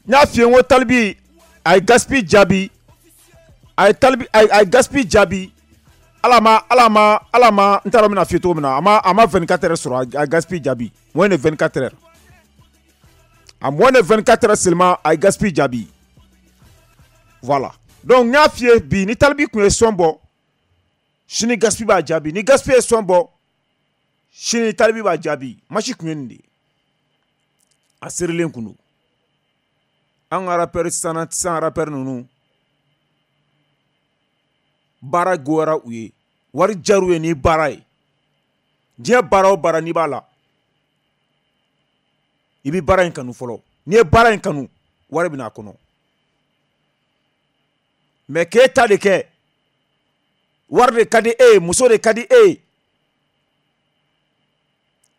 B: n y'a f'i ye n ko Talibi a ye Gaspi jaabi a ye Talibi a ye Gaspi jaabi ala ma ala ma ala ma n t'a dɔn n bɛna f'i ye cogo min na a ma a ma vingt-quatre heures sɔrɔ a ye Gaspi jaabi moins de vingt-quatre heures à moins de vingt-quatre heures seulement a ye Gaspi jaabi. Voilà, donc n y'a f'i ye bi ni Talibi tun ye son bɔ sini Gaspi b'a jaabi ni Gaspi ye son bɔ sini Talibi b'a jaabi match tun ye nin de ye a serilen kun don. An ka rappeur sisan sisan rappeur ninnu baara goyara u ye wari jar'u ye ni baara ye. Diɲɛ baara o baara n'i b'a la i bɛ baara in kanu fɔlɔ n'i ye baara in kanu wari bɛ n'a kɔnɔ. Mais k'e ta de kɛ wari de ka di e ye muso de ka di e ye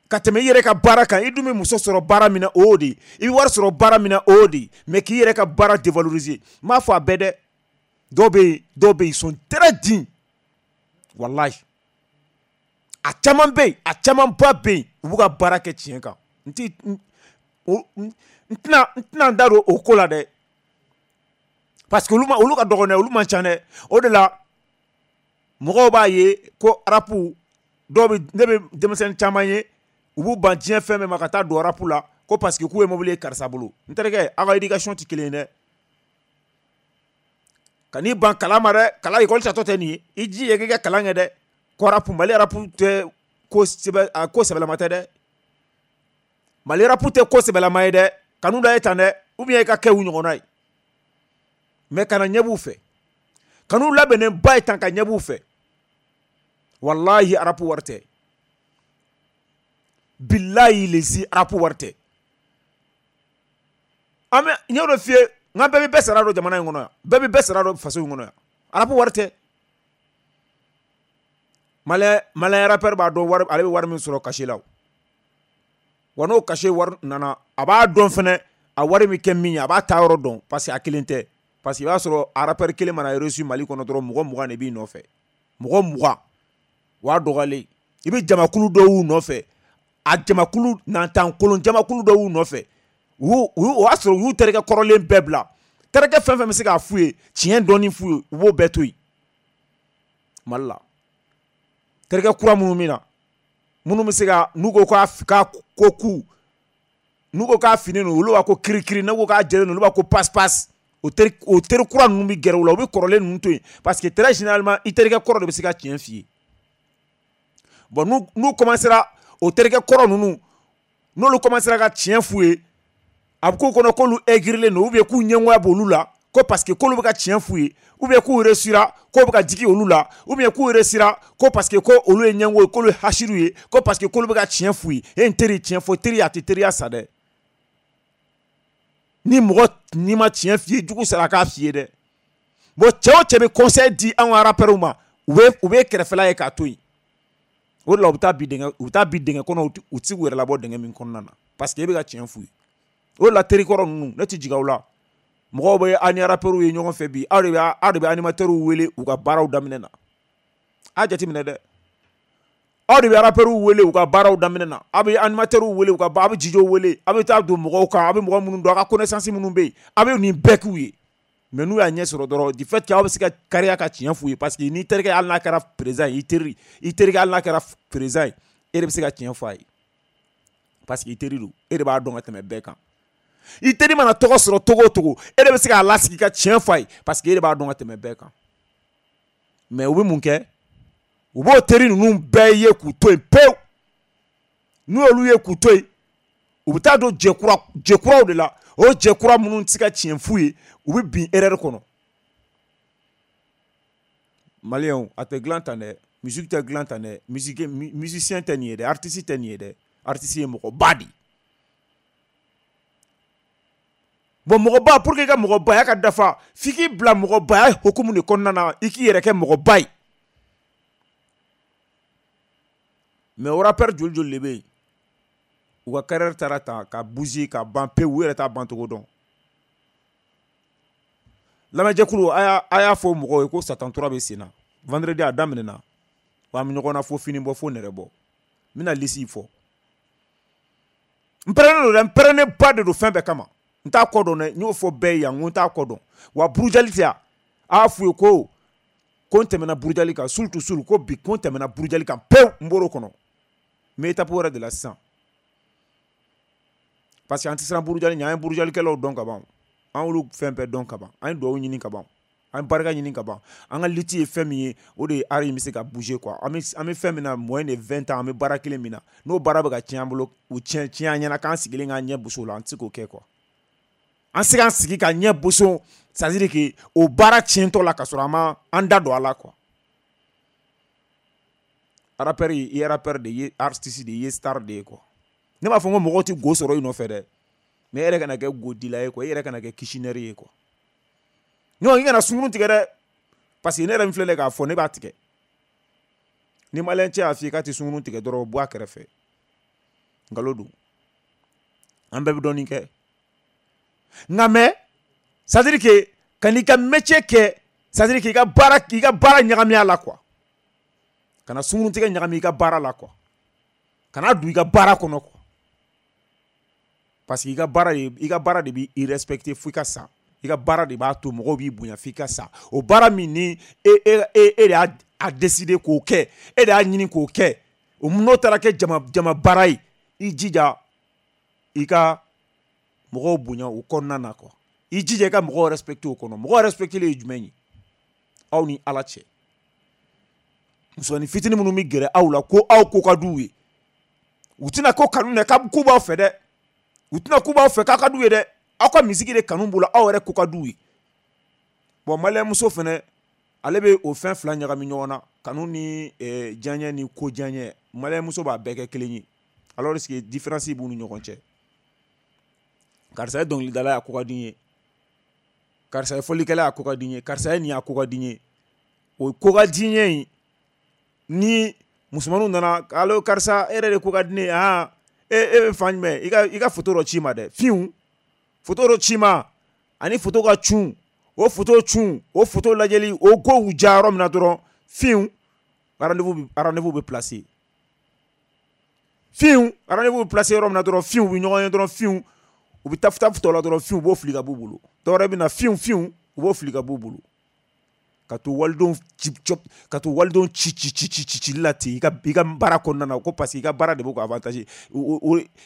B: ka tɛmɛ i yɛrɛ ka baara kan. I dun bɛ muso sɔrɔ baara min na o y'o de ye, i bɛ wari sɔrɔ baara min na o y'o de ye, mais k'i yɛrɛ ka baara dévaloriser. N m'a fɔ a bɛɛ dɛ, dɔw bɛ yen dɔw bɛ yen ils sont très dignes walahi. A caman bɛ yen a camanba bɛ yen u b'u ka baara kɛ tiɲɛ kan. N ti n tɛna n tɛna n da don o ko la dɛ parce que olu ma olu ka dɔgɔn dɛ, olu man ca dɛ. O de la mɔgɔw b'a ye ko arapu dɔw bɛ ne bɛ denmisɛnnin caman ye u b'u ban diɲɛ fɛn bɛɛ ma ka taa don arapu la ko parce que k'u ye mobili ye karisa bolo. N terikɛ aw ka éducation tɛ kelen ye dɛ. Ka n'i ban kalan ma dɛ, kalan école tatɔ tɛ nin ye, i jija k'i ka kalan kɛ dɛ. Ko arapu Mali arapu tɛ ko sɛbɛ a ko sɛbɛlama tɛ dɛ. Mali arapu tɛ ko sɛbɛlama ye dɛ. Kanu da ye tan dɛ, ou bien i ka kɛ u ɲɔgɔnna ye. Mais kana ɲɛ b'u fɛ. Kanu labɛnnen ba ye tan ka ɲɛ b'u fɛ. Walahi arapu wari tɛ. Bilahi lezi arapu wari tɛ. An bɛ n y'o de f'i ye n k'an bɛɛ bɛ bɛɛ sara dɔn jamana in kɔnɔ yan. Bɛɛ bɛ bɛɛ sara dɔn faso in kɔnɔ yan. Arapu wari tɛ. Malien malien rappeur b'a dɔn wari ale bɛ wari min sɔrɔ cachet la o. Wa n'o cachet wari nana a b'a dɔn fɛnɛ a wari bɛ kɛ min ye a b'a ta yɔrɔ dɔn parce que a kelen tɛ. Parce que i b'a sɔrɔ a rappeur kelen mana reçu Mali kɔnɔ dɔrɔn mɔgɔ mugan de b'i nɔfɛ. Mɔgɔ mugan o y'a dɔgɔyalen. I bɛ jamakulu dɔw y'u nɔfɛ. A jamakulu nantan kolon jamakulu dɔw y'u nɔfɛ. U o y'a sɔrɔ u y'u terikɛ kɔrɔlen bɛɛ bila. Terikɛ fɛn fɛn bɛ se k'a f'u ye tiɲɛ dɔɔni f'u ye u b'o bɛɛ to yen. Mali la terikɛ kura minnu bɛ na minnu bɛ se ka n'u ko k'a k'a ko ku n'u ko k'a finen don olu b'a ko kirikiri n'u ko k'a jɛlen don olu b'a ko passe passe. O teri o teri kura ninnu bɛ gɛrɛ u la u bɛ kɔrɔlen ninnu to yen parce que très généralement i terikɛ kɔrɔ de bɛ se ka tiɲɛ f'i ye. Bon n'u n'u commencera o terikɛ kɔrɔ ninnu n'olu commencera ka tiɲɛ f'u ye a bɛ k'u kɔnɔ k'olu aigrilen don ou bien k'u ɲɛngoya b'olu la ko parce que k'olu bɛ ka tiɲɛ f'u ye ou bien k'u réussira k'o bɛ ka jigin olu la ou bien k'u réussira ko parce que ko olu ye ɲɛngo ye k'olu ye hasiru ye ko parce que k'olu bɛ ka tiɲɛ f'u ye. E n teri tiɲɛ fɔ teri a tɛ teriya sa dɛ. Ni mɔgɔ n'i ma tiɲɛ f'i ye jugu sara k'a f'i ye dɛ. Bon cɛ o cɛ bɛ conseil di an ka rappeurs ma u bɛ u bɛ kɛrɛfɛla ye k'a to yen. O de la u bɛ taa bi dingɛ u bɛ taa bi dingɛ kɔnɔ u tɛ se k'u yɛrɛ labɔ dingɛ min kɔnɔna na. Parce que e bɛ ka tiɲɛ f'u ye. O de la terikɔrɔ ninnu ne tɛ jigin aw la. Mɔgɔw bɛ an ni rappeurs ye ɲɔgɔn fɛ bi, aw de bɛ aw de bɛ animateurs wele u ka baaraw daminɛ na. A jateminɛ dɛ. Aw de bɛ rappeurs wele u ka baaraw daminɛ na. Aw bɛ animateurs wele u ka aw bɛ D J wele, aw bɛ taa don mɔgɔw kan, aw bɛ mɔgɔ minnu dɔn, aw ka connaissance minnu bɛ yen, aw bɛ nin bɛɛ k'u ye. Mais n'u y'a ɲɛ sɔrɔ dɔrɔn, du fait que aw bɛ se ka kariya ka tiɲɛ f'u ye, parce que n'i terikɛ hali n'a kɛra président ye, i teri, i terikɛ hali n'a kɛra président ye, e de bɛ se ka tiɲɛ f'a ye. Parce que i teri don, e de b'a dɔn ka tɛmɛ bɛɛ kan. I teri mana tɔgɔ sɔrɔ togo o togo, e de bɛ se k'a lasigi ka tiɲɛ f'a ye, parce que e de b'a dɔn ka tɛmɛ bɛɛ kan. Mais u bɛ mun kɛ? U b'o teri ninnu bɛɛ ye k'u to yen pewu. N'u y'olu ye k'u to yen, u bɛ taa don jɛkura jɛkuraw de la. O jɛkura minnu tɛ se ka tiɲɛ f'u ye, u bɛ bin erreur kɔnɔ. Maliyɛnw, a tɛ dilan tan dɛ. Musique tɛ dilan tan dɛ. Musique, musicien tɛ nin ye dɛ. Artiste tɛ nin ye dɛ. Artiste ye mɔgɔba de ye. Bon, mɔgɔba, pour que i ka mɔgɔbaya ka dafa, f'i k'i bila mɔgɔbaya hukumu de kɔnɔna na, i k'i yɛrɛ kɛ mɔgɔba ye. Mais o rappeur joli joli de bɛ yen, u ka carrière taara ta ka bouger ka ban pewu, u yɛrɛ t'a ban cogo dɔn. Lamɛnjɛkulu, a y'a fɔ mɔgɔw ye ko Satan tura bɛ sen na. Vendredi a daminɛna, wa an bɛ ɲɔgɔn na fo fini bɔ fo nɛrɛ bɔ. N bɛna lisi fɔ. N pɛrɛnnen don dɛ, n pɛrɛnnen ba de don fɛn bɛɛ kama. N t'a kɔ dɔn dɛ, n y'o fɔ bɛɛ ye yan, n ko n t'a kɔ dɔn. Wa burujali tɛ yan, a y'a f'u ye ko ko n tɛmɛna burujali kan, surtout surtout ko bi ko n tɛmɛna burujali kan pewu, n bɔr'o kɔnɔ. N bɛ étape wɛrɛ de la sisan. Parce que an tɛ siran burujali ɲɛ, an ye burujalikɛlaw dɔn ka ban. An y'olu fɛn bɛɛ dɔn ka ban. An ye duwawu ɲini ka ban. An ye barika ɲini ka ban. An ka lutte ye fɛn min ye, o de ye art in bɛ se ka bouger quoi. An bɛ an bɛ fɛn min na moins de vingt ans, an bɛ baara kelen min na. N'o baara bɛ ka tiɲɛ an bolo, o tiɲɛ tiɲɛ an ɲɛna k'an sigilen k'an ɲɛ boso o la, an tɛ se k'o kɛ quoi. An se k'an sigi ka ɲɛ boso, c'est à dire que o baara tiɲɛtɔ la ka sɔrɔ an ma an da don a la quoi. Rappeur i ye rappeur de ye, artiste de ye, star de ye quoi. Ne b'a fɔ n ko mɔgɔw tɛ go sɔrɔ i nɔfɛ dɛ. Mais e yɛrɛ kana kɛ godila ye quoi, e yɛrɛ kana kɛ kishinɛri ye quoi. Non, i kana sunkurun tigɛ dɛ. Parce que ne yɛrɛ min filɛ k'a fɔ, ne b'a tigɛ. Ni maliyɛn cɛ y'a f'i ye k'a tɛ sunkurun tigɛ dɔrɔn, bɔ a kɛrɛfɛ. Nkalon don. An bɛɛ bɛ dɔɔnin kɛ. Nka mais, c'est à dire que ka n'i ka métier kɛ, c'est à dire que i ka baara i ka baara ɲagami a la quoi. Kana sunkurun tigɛ ɲagami i ka baara la quoi. Kana don i ka baara kɔnɔ quoi. Parce que i ka baara de i ka baara de b'i respecter fo i ka sa. I ka baara de b'a to mɔgɔw b'i bonya f'i ka sa. O baara min ni e e e de y'a a décider k'o kɛ, e de y'a ɲini k'o kɛ, o n'o taara kɛ jama jama baara ye, i jija i ka mɔgɔw bonya o kɔnɔna na quoi. I jija i ka mɔgɔw respecter o kɔnɔ. Mɔgɔw respecter ye jumɛn ye? Aw ni Ala cɛ. Musomanin fitinin minnu bɛ gɛrɛ aw la ko aw ko ka d'u ye, u tɛna ko kanu dɛ, k'u b'aw fɛ dɛ. U tɛna k'u b'aw fɛ k'a ka d'u ye dɛ. Aw ka misigi de kanu b'u la, aw yɛrɛ ko ka d'u ye. Bon, maliyɛn muso fɛnɛ, ale bɛ o fɛn fila ɲagami ɲɔgɔn na, kanu ni eh, diyaɲɛ ni ko diyaɲɛ. Maliyɛn muso b'a bɛɛ kɛ kelen ye. Alors que différence b'u ni ɲɔgɔn cɛ. Karisa ye dɔnkilidala ye, a ko ka di n ye. Karisa ye fɔlikɛla ye, a ko ka di n ye. Karisa ye nin ye, a ko ka di n ye. O ko ka di n ye in, ni musomaninw nana, allo karisa, e yɛrɛ de ko ka di ne ye, han. E e bɛ fan jumɛn? I ka i ka photo dɔ ci ma dɛ. Fiɲɛ photo dɔ ci ma, ani photo ka cun, o photo cun, o photo lajɛli, o kow ja yɔrɔ min na dɔrɔn, fiɲɛ rendez-vous rendez-vous bɛ placer. Fiɲɛ rendez-vous bɛ placer yɔrɔ min na dɔrɔn, fiɲɛ u bɛ ɲɔgɔn ye dɔrɔn, fiɲɛ u bɛ taf taf tɔ la dɔrɔn, fiɲɛ u b'o fili ka b'u bolo. Dɔwɛrɛ bɛ na, fiɲɛ fiɲɛ u b'o fili ka b'u bolo. Ka to walidenw ci ka to walidenw ci ci ci ci ci cili la ten i ka i ka baara kɔnɔna na, ko parce que i ka baara de bɛ k'o avantage,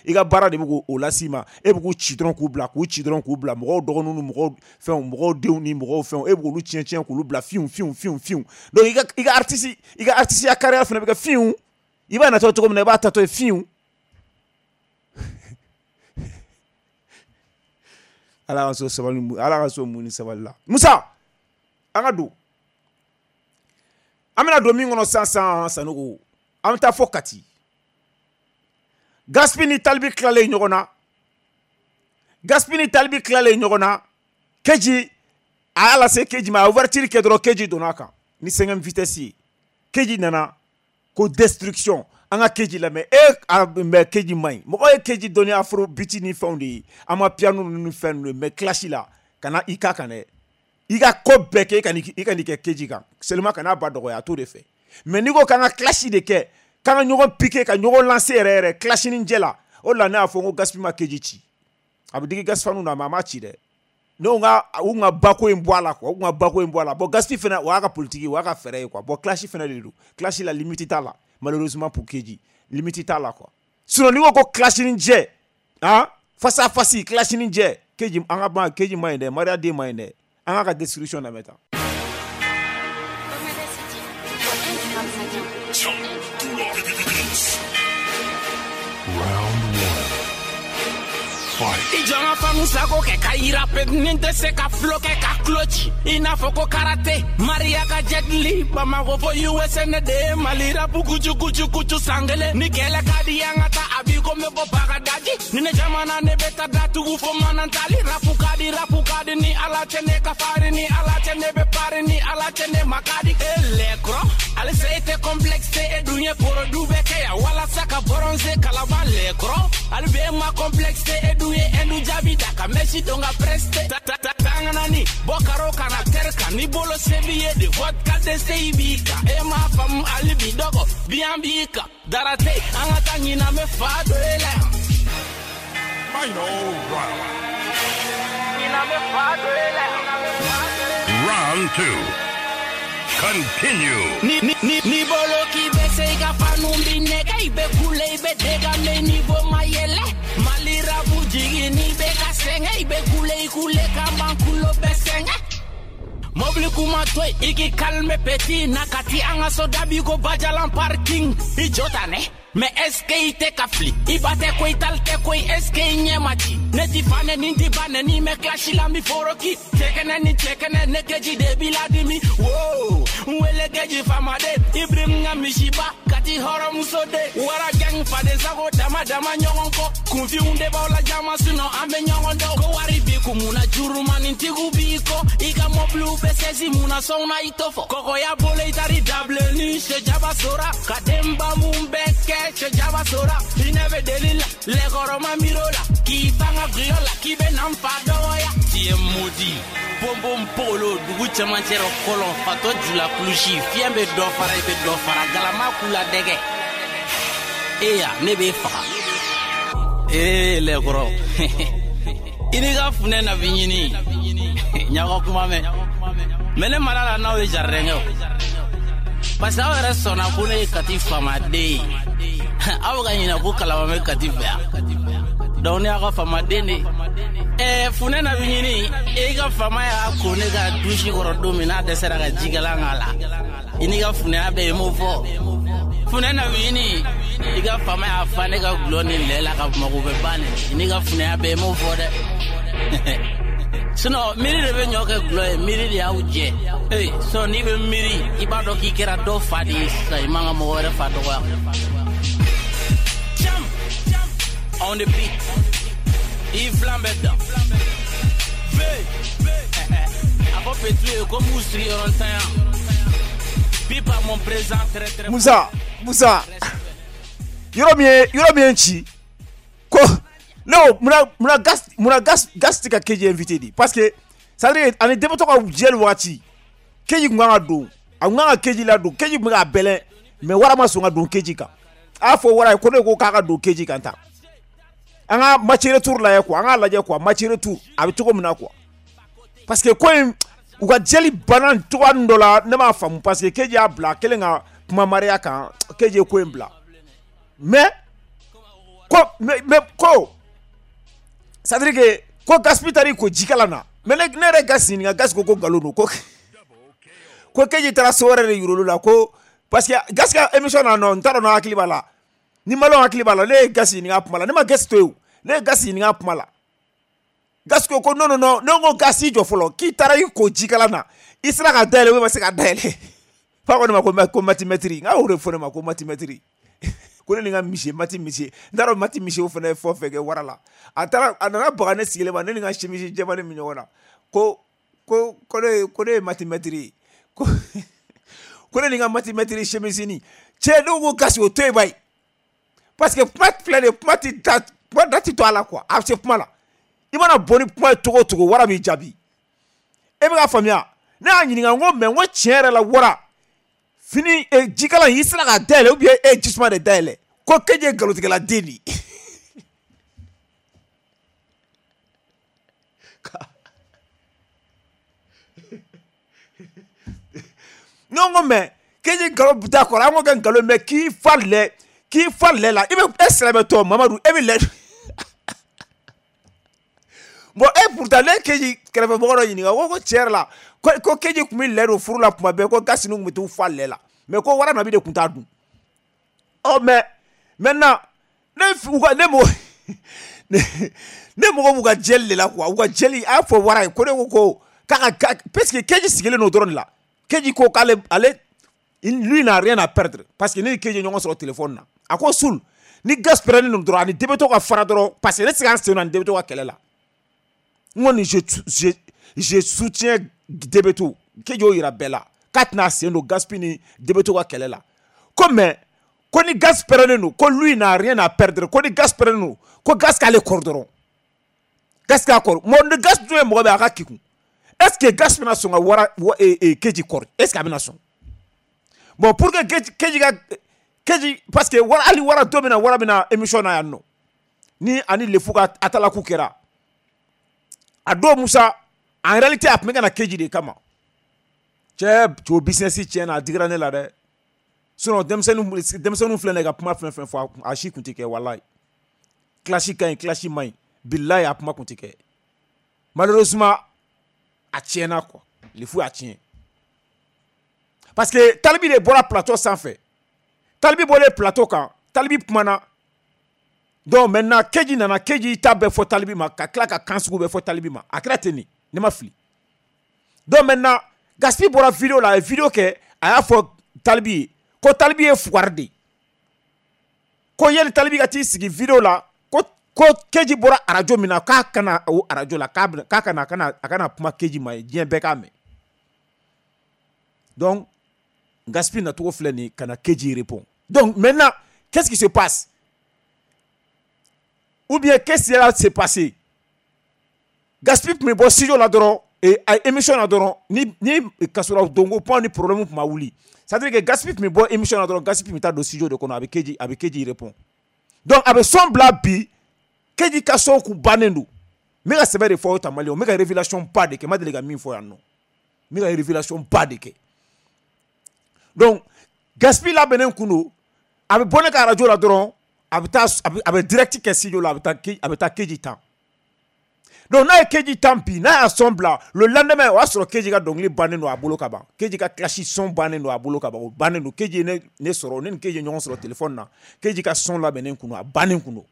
B: i ka baara de bɛ k'o las'i ma, e bɛ k'u ci dɔrɔn k'u bila, k'u ci dɔrɔn k'u bila, mɔgɔw dɔgɔninw ni mɔgɔw fɛnw, mɔgɔw denw ni mɔgɔw fɛnw, e bɛ k'olu tiɲɛ tiɲɛ k'olu bila fiɲɛ fiɲɛ fiɲɛ fiɲɛ. Donc i ka i ka artiste i ka artiste ya carrière fana bɛ kɛ fiɲɛ, i b'a natɔ cogo min na, i b'a tatɔ ye fiɲɛ. Ala ka so sabali, Ala ka so mun ni sabali la. Musa, an ka don. An bɛna don min kɔnɔ sisan sisan Sanogo, an bɛ taa fɔ Kati. Gaspi ni Talibi tilalen ɲɔgɔn na. Gaspi ni Talibi tilalen ɲɔgɔn na. Keji a y'a lase Keji ma, a ouverture kɛ dɔrɔn, Keji donna a kan ni cinquième vitesse ye. Keji nana ko destruction. An ka Keji lamɛn e mais Keji man ɲi mɔgɔ ye Keji dɔnni afro beat ni fɛnw de ye an ma piano ninnu fɛn ninnu ye mais clash la kana i ka kan dɛ i ka ko bɛɛ kɛ i ka i ka nin kɛ Keji kan seulement kana ba dɔgɔya a t'o de fɛ mais n'i ko k'an ka clash de kɛ k'an ka ɲɔgɔn piquer ka ɲɔgɔn lancer yɛrɛ yɛrɛ clash ni jɛ la o de la ne y'a fɔ n ko Gaspi ma Keji ci a bɛ digi Gaspi na mais a ma ci dɛ n'o ka u ka bako in bɔ a la quoi u ka bako in bɔ a la bon Gaspi fana o y'a ka politique o y'a ka fɛɛrɛ ye quoi bon clash fana de don clash la limite t'a la. Malheureusement pour Keji, limite t'a la quoi. Sinon n'i ko ko clash ni jɛ, hein, face à face clash ni jɛ, Keji an ka ban Keji ma ɲi dɛ, Maria den ma ɲi dɛ. An k'a ka description lamɛn tan.
F: Round one.
G: I jɔn ka fanu sago kɛ ka yira pe ni tɛ se ka fulo kɛ ka kulo ci i n'a fɔ ko karate Maria ka jet li Bamakɔ fo U S A ne de ye Mali rapu kucu kucu kucu san kelen ni kɛlɛ ka di an ka taa a b'i ko n bɛ bɔ Bagadaji ni ne jamana ne bɛ taa datugu fo Manantali rapu ka di rapu ka di ni Ala cɛ ne ka farin ni Ala cɛ ne bɛ pari ni Ala cɛ ne ma ka di e lɛkɔrɔ halisa e tɛ complexe e dun ye porodu bɛ kɛ yan walasa ka bronze kalaban lɛkɔrɔ hali bi e ma complexe e dun ye Endu jaabi da ka Messi don ka preste ta ta ta tanganani bɔ karo kana tɛri kan ni bolo se b'i ye de vodka de se i b'i kan e m'a faamu hali bi dɔgɔ biyan b'i kan dara tɛ yen an ka taa ɲinan bɛ fa dɔ e la yan.
F: Final round.
G: Ɲinan bɛ fa dɔ e la yan.
F: Round two. Continue.
G: Ni ni ni ni bolo k'i bɛ se i ka fanu bi nɛgɛ i bɛ kule i bɛ dégame niveau ma yɛlɛ Mali rapu jigin n'i bɛ ka sɛgɛn i bɛ kule i kule ka ban kulo bɛ sɛgɛn. Mobili kuma to yen i k'i calme petit na ka ti an ka so dabi ko Bajalan parking i jɔ ta nɛ. Mais est-ce que i tɛ ka fili i ba tɛ ko i tali tɛ ko est-ce que i ɲɛ ma ci ne ti fa ne ni ti ba ne ni mɛ clash la mi foroki cɛkɛnɛ ni cɛkɛnɛ ne Keji de b'i ladimi wo n wele Keji faamaden Ibrahim ka misiba Kati hɔrɔnmuso de wara gang faden sago dama dama ɲɔgɔn kɔ kunfinw de b'aw la jama sinon an bɛ ɲɔgɔn dɔn ko wari b'i kun mun na jurumanintigiw b'i kɔ i ka mɔbiliw bɛ sɛsi mun na sɔn na i t'o fɔ kɔkɔya bolo i taari dabilenni sɛjaba sora ka denba mun bɛɛ kɛ sɛjaba sora hinɛ bɛ deli la lɛkɔrɔma miiro la k'i fanga gulɔ la k'i bɛ na n fa dɔgɔya tu es maudit bonbon polo dugu cɛmancɛ rɔ kɔlɔn fatɔ jula kulusi fiɲɛ bɛ dɔ fara i bɛ dɔ fara galama k'u la dɛgɛ eya ne b'e faga ee lɛkɔrɔ i n'i ka funɛ na bi ɲini ɲaga kuma mɛn mɛ ne mara la n'aw ye jardin kɛ o parce que aw yɛrɛ sɔnna ko ne ye Kati faamaden ye aw bɛ ka ɲinɛ ko kalama bɛ Kati fɛ yan donc ne y'a ka faamaden de ɛɛ funɛ na bi ɲini e ka faama y'a ko ne ka dusi kɔrɔ don min n'a dɛsɛra ka jikalan k'a la i n'i ka funɛya bɛɛ i m'o fɔ funɛ na bi ɲini i ka faama y'a fa ne ka gulɔ ni lɛ la ka Bamakɔ bɛ ban nin i n'i ka funɛya bɛɛ i m'o fɔ dɛ sinon miiri de bɛ ɲɔ kɛ gulɔ ye miiri de y'aw jɛ ee sinon n'i bɛ miiri i b'a dɔn k'i kɛra dɔ fa de ye sisan i man ka mɔgɔ wɛrɛ fa dɔgɔya. Jam on the beat i filan bɛ dan V a fɔ Petu ye ko m'u sigi yɔrɔ ntanya Pipa mon présent très très.
B: Musa Musa yɔrɔ min ye yɔrɔ min ye n ci ko ne ko munna munna gas munna gas gas tɛ ka Keji invité de parce que c'est à dire ani denbatɔ ka jɛli waati Keji kun kan ka don a kun kan ka Keji ladon Keji kun bɛ k'a bɛlɛn mais wara ma sɔn ka don Keji kan a y'a fɔ wara ye ko ne ko k'a ka don Keji kan tan an ka match retour lajɛ quoi an k'a lajɛ quoi match retour a bɛ cogo min na quoi parce que ko in u ka jɛli banna cogoya dɔ la ne m'a faamu parce que Keji y'a bila a kɛlen ka kuma Maria kan Keji ye ko in bila mais ko mais mais ko c'est à dire que ko Gaspi taar'i ko jikalan na mais ne ne yɛrɛ Gas ɲininka Gas ko ko nkalon don ko ko Keji taara so wɛrɛ de yir'olu la ko parce que Gas ka émission na nɔ n t'a dɔn n'aw hakili b'a la ni maliyɛnw hakili b'a la ne ye Gas ɲininka a kuma la ne ma Gas to yen o ne ye Gas ɲininka a kuma la Gas ko ko non non non ne ko Gas i jɔ fɔlɔ k'i taara i ko jikalan na i sera ka dayɛlɛ ou i ma se ka dayɛlɛ fa ko ne ma ko ko matimɛtiri n k'a y'o de fɔ ne ma ko matimɛtiri ko ne ni n ka misi mati misi n t'a dɔn mati misi o fana ye fɛn o fɛn kɛ wara la a taara a nana baga ne sigilen ma ne ni n ka simisi jɛman min ɲɔgɔn na ko ko ko ne ko ne ye matimɛtiri ye ko ko ne ni n ka matimɛtiri semisini cɛ ne ko Gas o to yen bayi Parce que kuma filɛ nin ye, kuma ti da, kuma da ti to a la quoi. A bɛ se kuma la. I mana bɔ ni kuma ye cogo o cogo, wara b'i jaabi. E bɛ ka faamuya. Ne y'a ɲininka n ko mais n ko tiɲɛ yɛrɛ la wara fini jikalan i sera k'a dayɛlɛ ou bien e ye jisuma de dayɛlɛ ko Keji ye nkalontigɛla den de ye. Ne ko mais Keji nkalon bɛ taa kɔrɔ, an ko kɛ nkalon mais k'i fa lɛ k'i fa lɛ la i bɛ e silamɛtɔ Mamadu e bɛ lɛ. Bon e pourtant ne Keji kɛrɛfɛmɔgɔ dɔ ɲininka ko ko tiɲɛ yɛrɛ la ko ko Keji tun bɛ lɛ don furu la tuma bɛɛ ko gasi ninnu tun bɛ t'u fa lɛ la mais ko wara nabi de tun t'a dun. Ɔ mais maintenant ne u ka ne mɔgɔ ne mɔgɔ b'u ka jɛli de la quoi, u ka jɛli a y'a fɔ wara ye ko ne ko ko k'a ka parce que Keji sigilen don dɔrɔn de la. Keji ko k'ale ale lui n'a rien à perdre parce que ne ni Keji ɲɔgɔn sɔrɔ téléphone na a ko Sul ni gas pɛrɛnnen don dɔrɔn ani Debeto ka fara dɔrɔn parce que ne tɛ se k'an sen don ani Debeto ka kɛlɛ la. N kɔni je je je soutiens Debeto. Keji y'o yira bɛɛ la k'a tɛna sen don Gaspi ni Debeto ka kɛlɛ la ko mais ko ni gas pɛrɛnnen don ko lui n'a rien à perdre ko ni gas pɛrɛnnen don ko gas k'ale kɔrɔ dɔrɔn gas k'a kɔrɔ mɔ ni gas dun ye mɔgɔ bɛ a ka kekun. Est-ce que gas bɛna sɔn ka wara Keji kɔrɔ? Est-ce que a bɛna sɔn? Bon pour que Keji Keji ka Keji parce que wara hali wara don min na wara bɛna émission na yan nɔ ni ani Lefu ka atalaku kɛra a don Musa en réalité a tun bɛ ka na Keji de kama. Cɛ o business tiɲɛna a digira ne la dɛ. Sinon denmisɛnninw denmisɛnninw filɛ nin ye ka kuma fɛn fɛn fɔ a si kun tɛ kɛ walayi. Clash ka ɲi clash man ɲi bilayi a kuma kun tɛ kɛ. Malheureusement a tiɲɛna quoi, Lefu y'a tiɲɛ. Parce que Talibi de bɔra plateau sanfɛ. Talibi bɔlen plateau kan, Talibi kumana. Donc maintenant Keji nana, Keji ta bɛɛ fɔ Talibi ma ka tila ka kan sugu bɛɛ fɔ Talibi ma. A kɛra ten de, ne ma fili. Donc maintenant Gaspi bɔra vidéo la, a ye vidéo kɛ, a y'a fɔ Talibi ye ko Talibi ye fugari de ye. Ko yanni Talibi ka t'i sigi vidéo la ko ko Keji bɔra arajo min na k'a kana o arajo la k'a k'a kana a kana a kana kuma Keji ma ye diɲɛ bɛɛ k'a mɛn. Donc Gaspi nacogo filɛ nin ye ka na Keji répond. Donc maintenant qu'est-ce qui se passe? Ou bien qu'est-ce qui va se passer? Gaspi tun bɛ bɔ studio la dɔrɔn et a émission na dɔrɔn ni ni kasɔrɔ donko point ni problème tun ma wuli. C'est-à-dire que Gaspi tun bɛ bɔ émission na dɔrɔn Gaspi tun bɛ taa don studio de kɔnɔ a bɛ Keji a bɛ Keji répond. Donc a bɛ son bila bi Keji ka son kun bannen don. N bɛ ka sɛbɛ de fɔ aw ta maliyɛnw, n bɛ ka révélation ba de kɛ, n ma deli ka min fɔ yan nɔ. N bɛ ka révélation ba de kɛ. Donc Gaspi labɛnnen kun don, a bɛ bɔ ne ka radio la dɔrɔn a bɛ taa a bɛ direct kɛ studio la a bɛ taa a bɛ taa Keji tan. Donc n'a ye Keji tan bi n'a y'a son bila le lendemain o y'a sɔrɔ Keji ka dɔnkili bannen don a bolo ka ban. Keji ka clash son bannen don a bolo ka ban, o bannen don. Keji ye ne ne sɔrɔ, ne ni Keji ye ɲɔgɔn sɔrɔ téléphone na. Keji ka son labɛnnen kun don, a bannen kun don.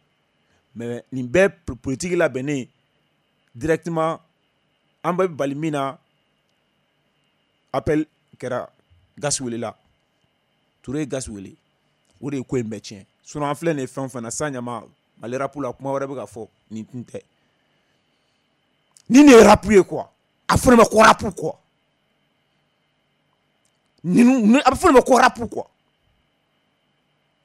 B: Mais nin bɛɛ politique labɛnnen directement an bɛ bali min na appel kɛra Gas welela. Touré ye Gas wele. O de ye ko in bɛɛ tiɲɛ. Sinon an filɛ nin ye fɛn o fɛn na san ɲama Mali rap la kuma wɛrɛ bɛ ka fɔ nin tun tɛ. Ni nin ye rap ye quoi, a fɔ ne ma ko rap quoi. Ninnu a bɛ fɔ ne ma ko rap quoi.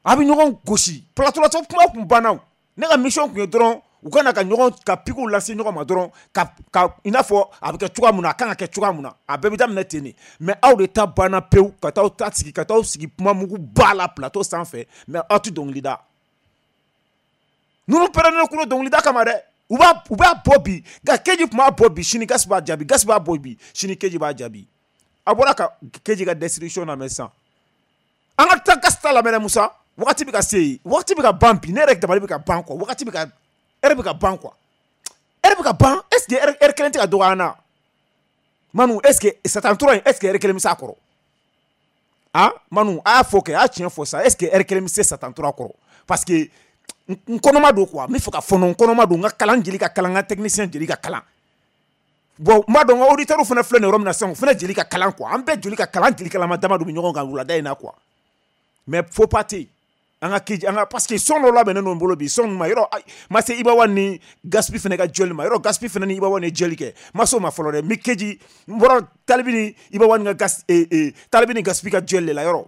B: A bɛ ɲɔgɔn gosi plateau la kuma kun banna o. Ne ka mission kun ye dɔrɔn u ka na ka ɲɔgɔn ka piquew lase ɲɔgɔn ma dɔrɔn ka ka i n'a fɔ a bɛ kɛ cogoya mun na a kan ka kɛ cogoya mun na a bɛɛ bɛ daminɛ ten de. Mais aw de ta banna pewu ka t'aw ta sigi ka t'aw sigi kuma mugu ba la plateau sanfɛ mais aw tɛ dɔnkili da. Ninnu pɛrɛnnen kun don dɔnkili da kama dɛ. U b'a u b'a bɔ bi nka Keji tun b'a bɔ bi sini Gas b'a jaabi, Gas b'a bɔ bi sini Keji b'a jaabi. A bɔra ka Keji ka destruction lamɛn sisan. An ka taa Gas ta lamɛn dɛ Musa. Wagati bɛ ka se yen, wagati bɛ ka ban bi, ne yɛrɛ dabali bɛ ka ban quoi, wagati bɛ ka heure bɛ ka ban quoi, heure bɛ ka ban. Est-ce que heure kelen tɛ ka dɔgɔya an na Manu? Est-ce que Satan tura in est-ce que heure kelen bɛ s'a kɔrɔ? Ah Manu a y'a fɔ kɛ, a y'a tiɲɛ fɔ sa, est-ce que heure kelen bɛ se Satan tura kɔrɔ? Parce que n kɔnɔma don quoi, n bɛ fɛ ka fɔnɔ n kɔnɔma don, n ka kalan jeli ka kalan, n ka technicien jeli ka kalan. Bon n b'a dɔn n ka auditeurs fana filɛ nin yɔrɔ min na sisan, o fana jeli ka kalan quoi, an bɛɛ jeli ka kalan, jeli kalama dama don bɛ ɲɔgɔn kan wulada in na quoi. Mais faut pas tɛ yen. An ka Keji an ka parce que son dɔ labɛnnen don n bolo bi son ma yɔrɔ ma se Iba One ni Gaspi fana ka jɔli ma yɔrɔ Gaspi fana ni Iba One ye jɔli kɛ ma s'o ma fɔlɔ dɛ. N bɛ Keji n bɔra Talibi ni Iba One ka gas ee ee Talibi ni Gaspi ka jɔli de la yɔrɔ.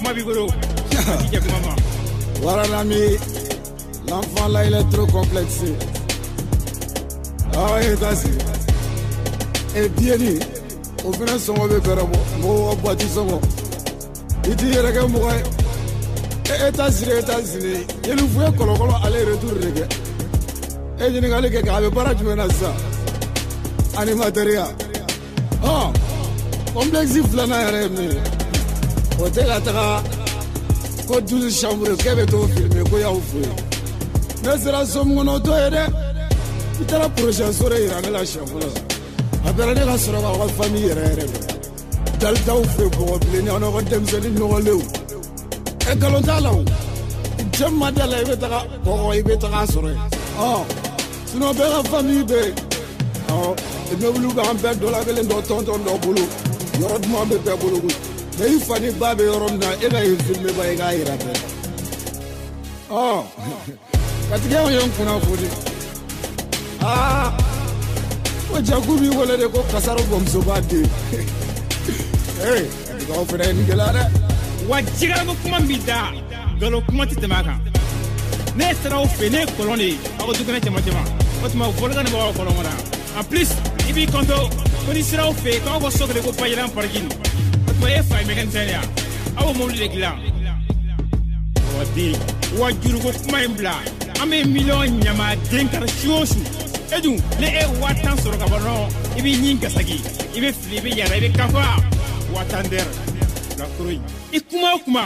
C: Kuma b'i bolo. I jɛ kuma ma.
H: Voilà l'ami, l'enfant là il est trop complexé. Ah ouais, États-Unis. Et bien dit, au final sɔngɔ bɛ fɛɛrɛ bɔ mɔgɔw ka boîte sɔngɔ. I t'i yɛrɛ kɛ mɔgɔ ye. E États-Unis, États-Unis, Yelifu ye kɔlɔkɔlɔ aller retour de kɛ. E ɲininkali kɛ k'a bɛ baara jumɛn na sisan? Animateur ya. Ɔn, complexe filanan yɛrɛ ye min ye, o tɛ ka taga ko douze chambres k'e bɛ t'o filmer ko y'aw fɛ yen. Ne sera so min kɔnɔ o t'o ye dɛ. I taara projet so de yira ne la siɲɛ fɔlɔ. A bɛra ne ka sɔrɔ k'aw ka famille yɛrɛ yɛrɛ dɔn. Dalitaw fɛ bɔgɔ bilenni aw n'aw ka denmisɛnnin nɔgɔlenw. Ɛ nkalon t'a la o. Cɛ min ma da la i bɛ taga kɔgɔ i bɛ taga sɔrɔ yen. Ɔ sinon bɛɛ ka famille bɛ yen. Ɔ immeuble b'an bɛɛ dɔ la kelen dɔ tɔntɔn dɔ bolo. Yɔrɔ duman bɛ bɛɛ bolo koyi. Mais i fa ni ba bɛ yɔrɔ min na e ka yen filmer ba i k'a yira bɛɛ la. Ɔ katigɛw ye n kunnafoni. Aa ko jaku b'i wele de ko kasaro bamusoba den. Ee katigɛw fana ye nin gɛlɛya dɛ.
C: Wa jigarako kuma min b'i da nkalon kuma tɛ tɛmɛ a kan. Ne sera aw fɛ ne ye kɔlɔn de ye aw ka dukɛnɛ cɛman cɛman. O tuma volcan de b'aw ka kɔlɔn kɔnɔ. En plus i b'i kanto ko n'i sera aw fɛ yen k'aw ka so kelen ko Bajiran parking. O tuma e fa ye mécanicien de ye wa? Aw b'o mobili de dilan. Wa den wa juruko kuma in bila an bɛ miliyɔn ɲamaden kari su o su. E dun ni e ye waa tan sɔrɔ ka ban dɔrɔn i b'i ɲin gasaki i bɛ fili i bɛ yala i bɛ kafa waa tan dɛrɛ lakoro in. I kuma o kuma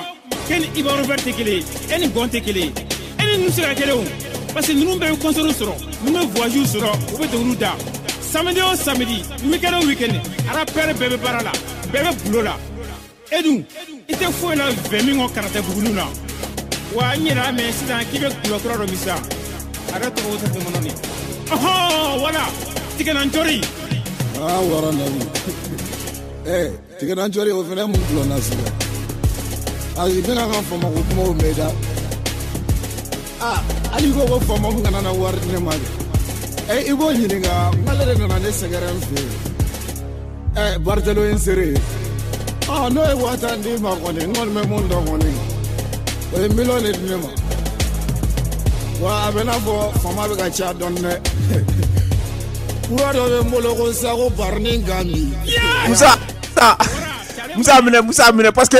C: k'e ni Iba Robert tɛ kelen ye e ni Gɔn tɛ kelen ye e ni ninnu tɛ se ka kelen o parce que ninnu bɛɛ bɛ concert sɔrɔ ninnu bɛ voyage sɔrɔ u bɛ dɔnkiliw da samedi o samedi week-end o week-end rappeur bɛɛ bɛ baara la bɛɛ bɛ boulot la e dun i tɛ foyi la vingt min kɔ karata buguniw na wa n yɛrɛ y'a mɛn sisan k'i bɛ gulɔ kura dɔ min sisan a yɛrɛ tɔgɔ ko tɛ tɛmɛ nin. Ɔhɔn voilà tigɛnancɔri.
H: Aa wara nabi eh tigɛnancɔri o fana ye mun gulɔ na sisan? Ayi n bɛna ka famako kumaw mɛn da. Aa hali i ko ko faama min kana na wari di ne ma dɛ. Ɛ i b'o ɲininka n k'ale de nana ne sɛgɛrɛ n fɛ yen. Ɛ Bartelo ye n seere ye. Ɔ n'o ye waa tan d'i ma kɔni n kɔni bɛ mun dɔn kɔni o ye miliyɔn de di ne ma. Wa a bɛ n'a fɔ faama bɛ ka ca dɔɔni dɛ. Kura dɔ bɛ n bolo ko sa ko Barani Gambi.
B: Musa Musa minɛ Musa minɛ parce que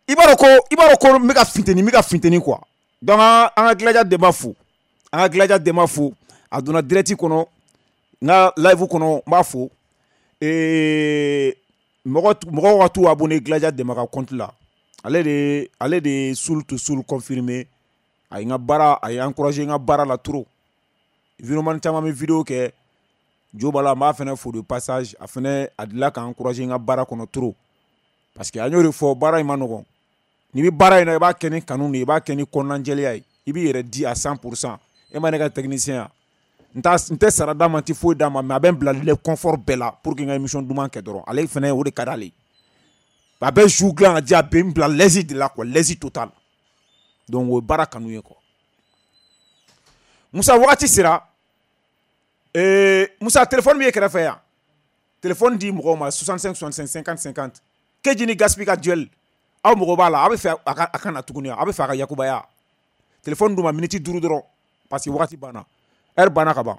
B: i b'a dɔn ko i b'a dɔn ko n bɛ ka funteni n bɛ ka funteni quoi. Donc an ka Gilaja Denba fo an ka Gilaja Denba fo a donna direct kɔnɔ n ka live kɔnɔ n b'a fo ee mɔgɔ mɔgɔw ka t'u abonné Gilaja Denba ka compte la ale de ale de ye Soul to Soul confirmé. A ye n ka baara a ye encouragé n ka baara la trop. Vidéoman caman bɛ vidéo kɛ Jo b'a la n b'a fana fo de passage a fana a delila ka encouragé n ka baara kɔnɔ trop parce que an y'o de fɔ baara in ma nɔgɔn. N'i bɛ baara in na i b'a kɛ ni kanu de ye i b'a kɛ ni kɔnɔnajɛlenya ye i b'i yɛrɛ di à cent pour cent. E ma ne ka technicien ya n t'a n tɛ sara d'a ma n tɛ foyi d'a ma mais a bɛ n bila le confort bɛɛ la pour que n ka émission duman kɛ dɔrɔn ale fana o de ka d'ale ye. A bɛ jour dilan ka di a bɛ n bila l'aise de la quoi l'aise totale. Donc o ye baara kanu ye quoi. Musa wagati sera ee Musa téléphone b'i kɛrɛfɛ yan téléphone di mɔgɔw ma soixante-cinq soixante-cinq cinquante cinquante Keji ni Gaspi ka duel aw mɔgɔ b'a la a bɛ fɛ a ka a ka na tuguni a bɛ fɛ a ka yakubaya téléphone d'u ma minute duuru dɔrɔn parce que wagati banna heure banna ka ban.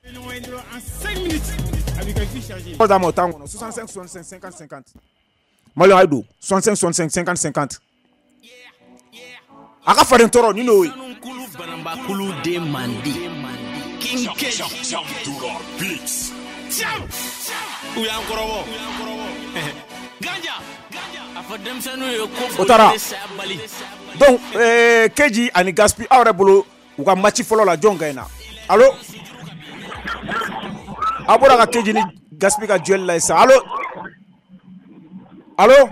C: En cinq minutes a b'i ka vie chargée.
B: D'a ma o temps kɔnɔ soixante-cinq soixante-cinq cinquante cinquante Malien a ye don soixante-cinq soixante-cinq cinquante cinquante a ka faden tɔɔrɔ ni n'o ye. O taara donc euh, Keji ani Gaspi aw yɛrɛ bolo u ka match fɔlɔ la jɔn gagne na? Allo aw bɔra ka Keji ni Gaspi ka duel la sisan allo allo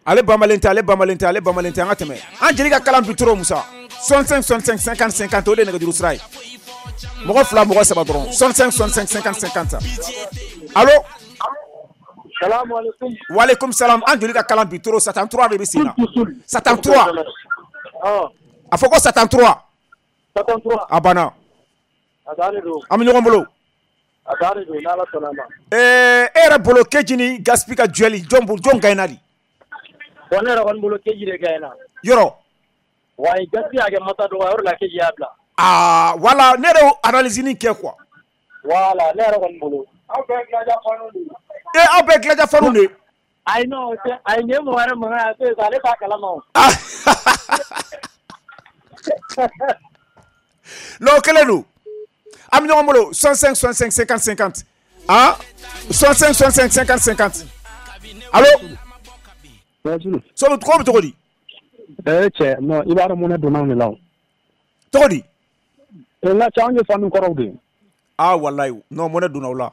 B: ale bamalen tɛ ale bamalen tɛ ale bamalen tɛ an ka tɛmɛ an jeli ka kalan bi trop Musa soixante-cinq soixante-cinq cinquante cinquante o de ye nɛgɛjuru sira ye mɔgɔ fila mɔgɔ saba dɔrɔn soixante-cinq soixante-cinq cinquante cinquante allo.
I: Salam alaikum.
B: Wa alaikum salam. An joli ka kalan bi trop Satan trois de bɛ sen na. Satan trois. A fɔ ko Satan trois.
I: Satan trois.
B: A banna.
I: A dannen don.
B: An bɛ ɲɔgɔn bolo.
I: A dan de don n'Ala sɔnna a ma.
B: Ɛɛ e yɛrɛ bolo Keji ni Gaspi ka duel jɔn jɔn gagne di?
I: Bon ne yɛrɛ kɔni bolo Keji de gagne na.
B: Yɔrɔ.
I: Wayi Gaspi y'a kɛ masa dɔgɔya o de la Keji y'a bila.
B: Aa voilà ne yɛrɛ y'o analyse nin kɛ quoi.
I: Voilà ne yɛrɛ kɔni bolo. Aw bɛɛ ye Gilaja fanu de ye.
B: E aw bɛɛ ye Gilaja fanu de ye.
I: Ayi non ayi nin ye mɔgɔ wɛrɛ mankan ye a to yen sa ale t'a kalama o.
B: Non o kɛlen don. An bɛ ɲɔgɔn bolo soixante-cinq soixante-cinq cinquante cinquante ah soixante-cinq soixante-cinq cinquante cinquante allo. So ko bɛ cogo di?
J: Eh cɛ non i b'a dɔn mun ne donna anw de la o.
B: Cogo di?
J: N ka cɛ anw ye fanu kɔrɔw de ye.
B: Ah walayi non mun ne donna o la.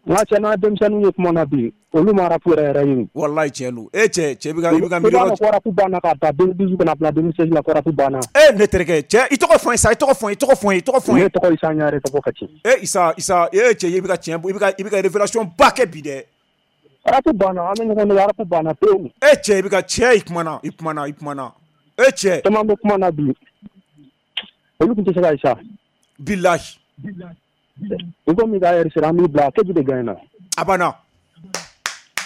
J: N ka cɛ n'an denmisɛnninw ye kuma na bi olu ma rap yɛrɛ yɛrɛ ɲini.
B: Walayi tiɲɛ don e cɛ cɛ bɛ ka i bɛ ka miiri.
J: I b'a dɔn ko rap banna k'a ta deux mille dix-huit ka na bila deux mille seize la ko rap banna.
B: E ne terikɛ cɛ i tɔgɔ fɔ n ye sa i tɔgɔ fɔ n ye i tɔgɔ fɔ n ye i tɔgɔ fɔ n ye.
J: Ne tɔgɔ Isa Ɲare ka bɔ Kati.
B: E Isa Isa e cɛ i bɛ ka tiɲɛ i bɛ ka i bɛ ka révélation ba kɛ bi dɛ.
J: Rap banna an bɛ ɲɔgɔn nɛgɛ rap banna pewu.
B: E cɛ i bɛ ka cɛ i kumana i kumana i kumana e cɛ.
J: Caman bɛ kuma na bi olu tun tɛ se ka ye sa.
B: Bilahi.
J: I ko min ka heure sera an b'i bila Keji de gagne na.
B: A banna.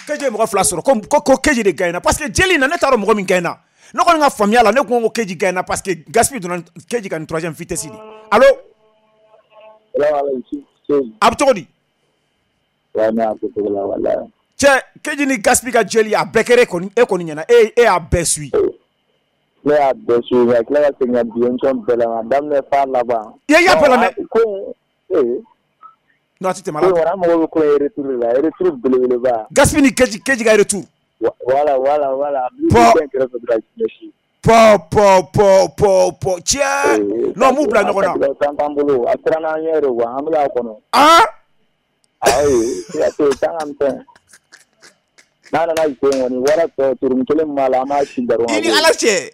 B: Keji ye mɔgɔ fila sɔrɔ ko ko ko Keji de gagne na parce que jeli na ne t'a dɔn mɔgɔ min gagne na. Ne kɔni ka faamuya la ne ko ko Keji gagne na parce que Gaspi donna Keji ka nin troisième vitesse de. Allo. A bɛ cogo di? Cɛ Keji ni Gaspi ka jeli a bɛɛ kɛra e kɔni e kɔni ɲɛna e e y'a bɛɛ suit.
I: Ne y'a bɛɛ suit ka tila ka segin ka bi émission bɛɛ lamɛn a daminɛ f'a laban.
B: I y'a bɛɛ lamɛn.
I: Ko ee.
B: Non a ti tɛmɛ a la.
I: Ko an mago bɛ ko in retour de la retour belebeleba.
B: Gaspi ni Keji Keji ka retour.
I: Voilà voilà voilà.
B: Pɔ pɔ pɔ pɔ pɔ pɔ cɛ. Non m'u bila ɲɔgɔn na.
I: Tan t'an bolo a siranna an ɲɛ de quoi an bɛ k'a kɔnɔ.
B: Ah.
I: Ayi siga t'o ye tan ka misɛn. N'a nana jɔ kɔni wara tɔ turunin kelen min b'a la an b'a ci dɔrɔn.
B: I ni Ala cɛ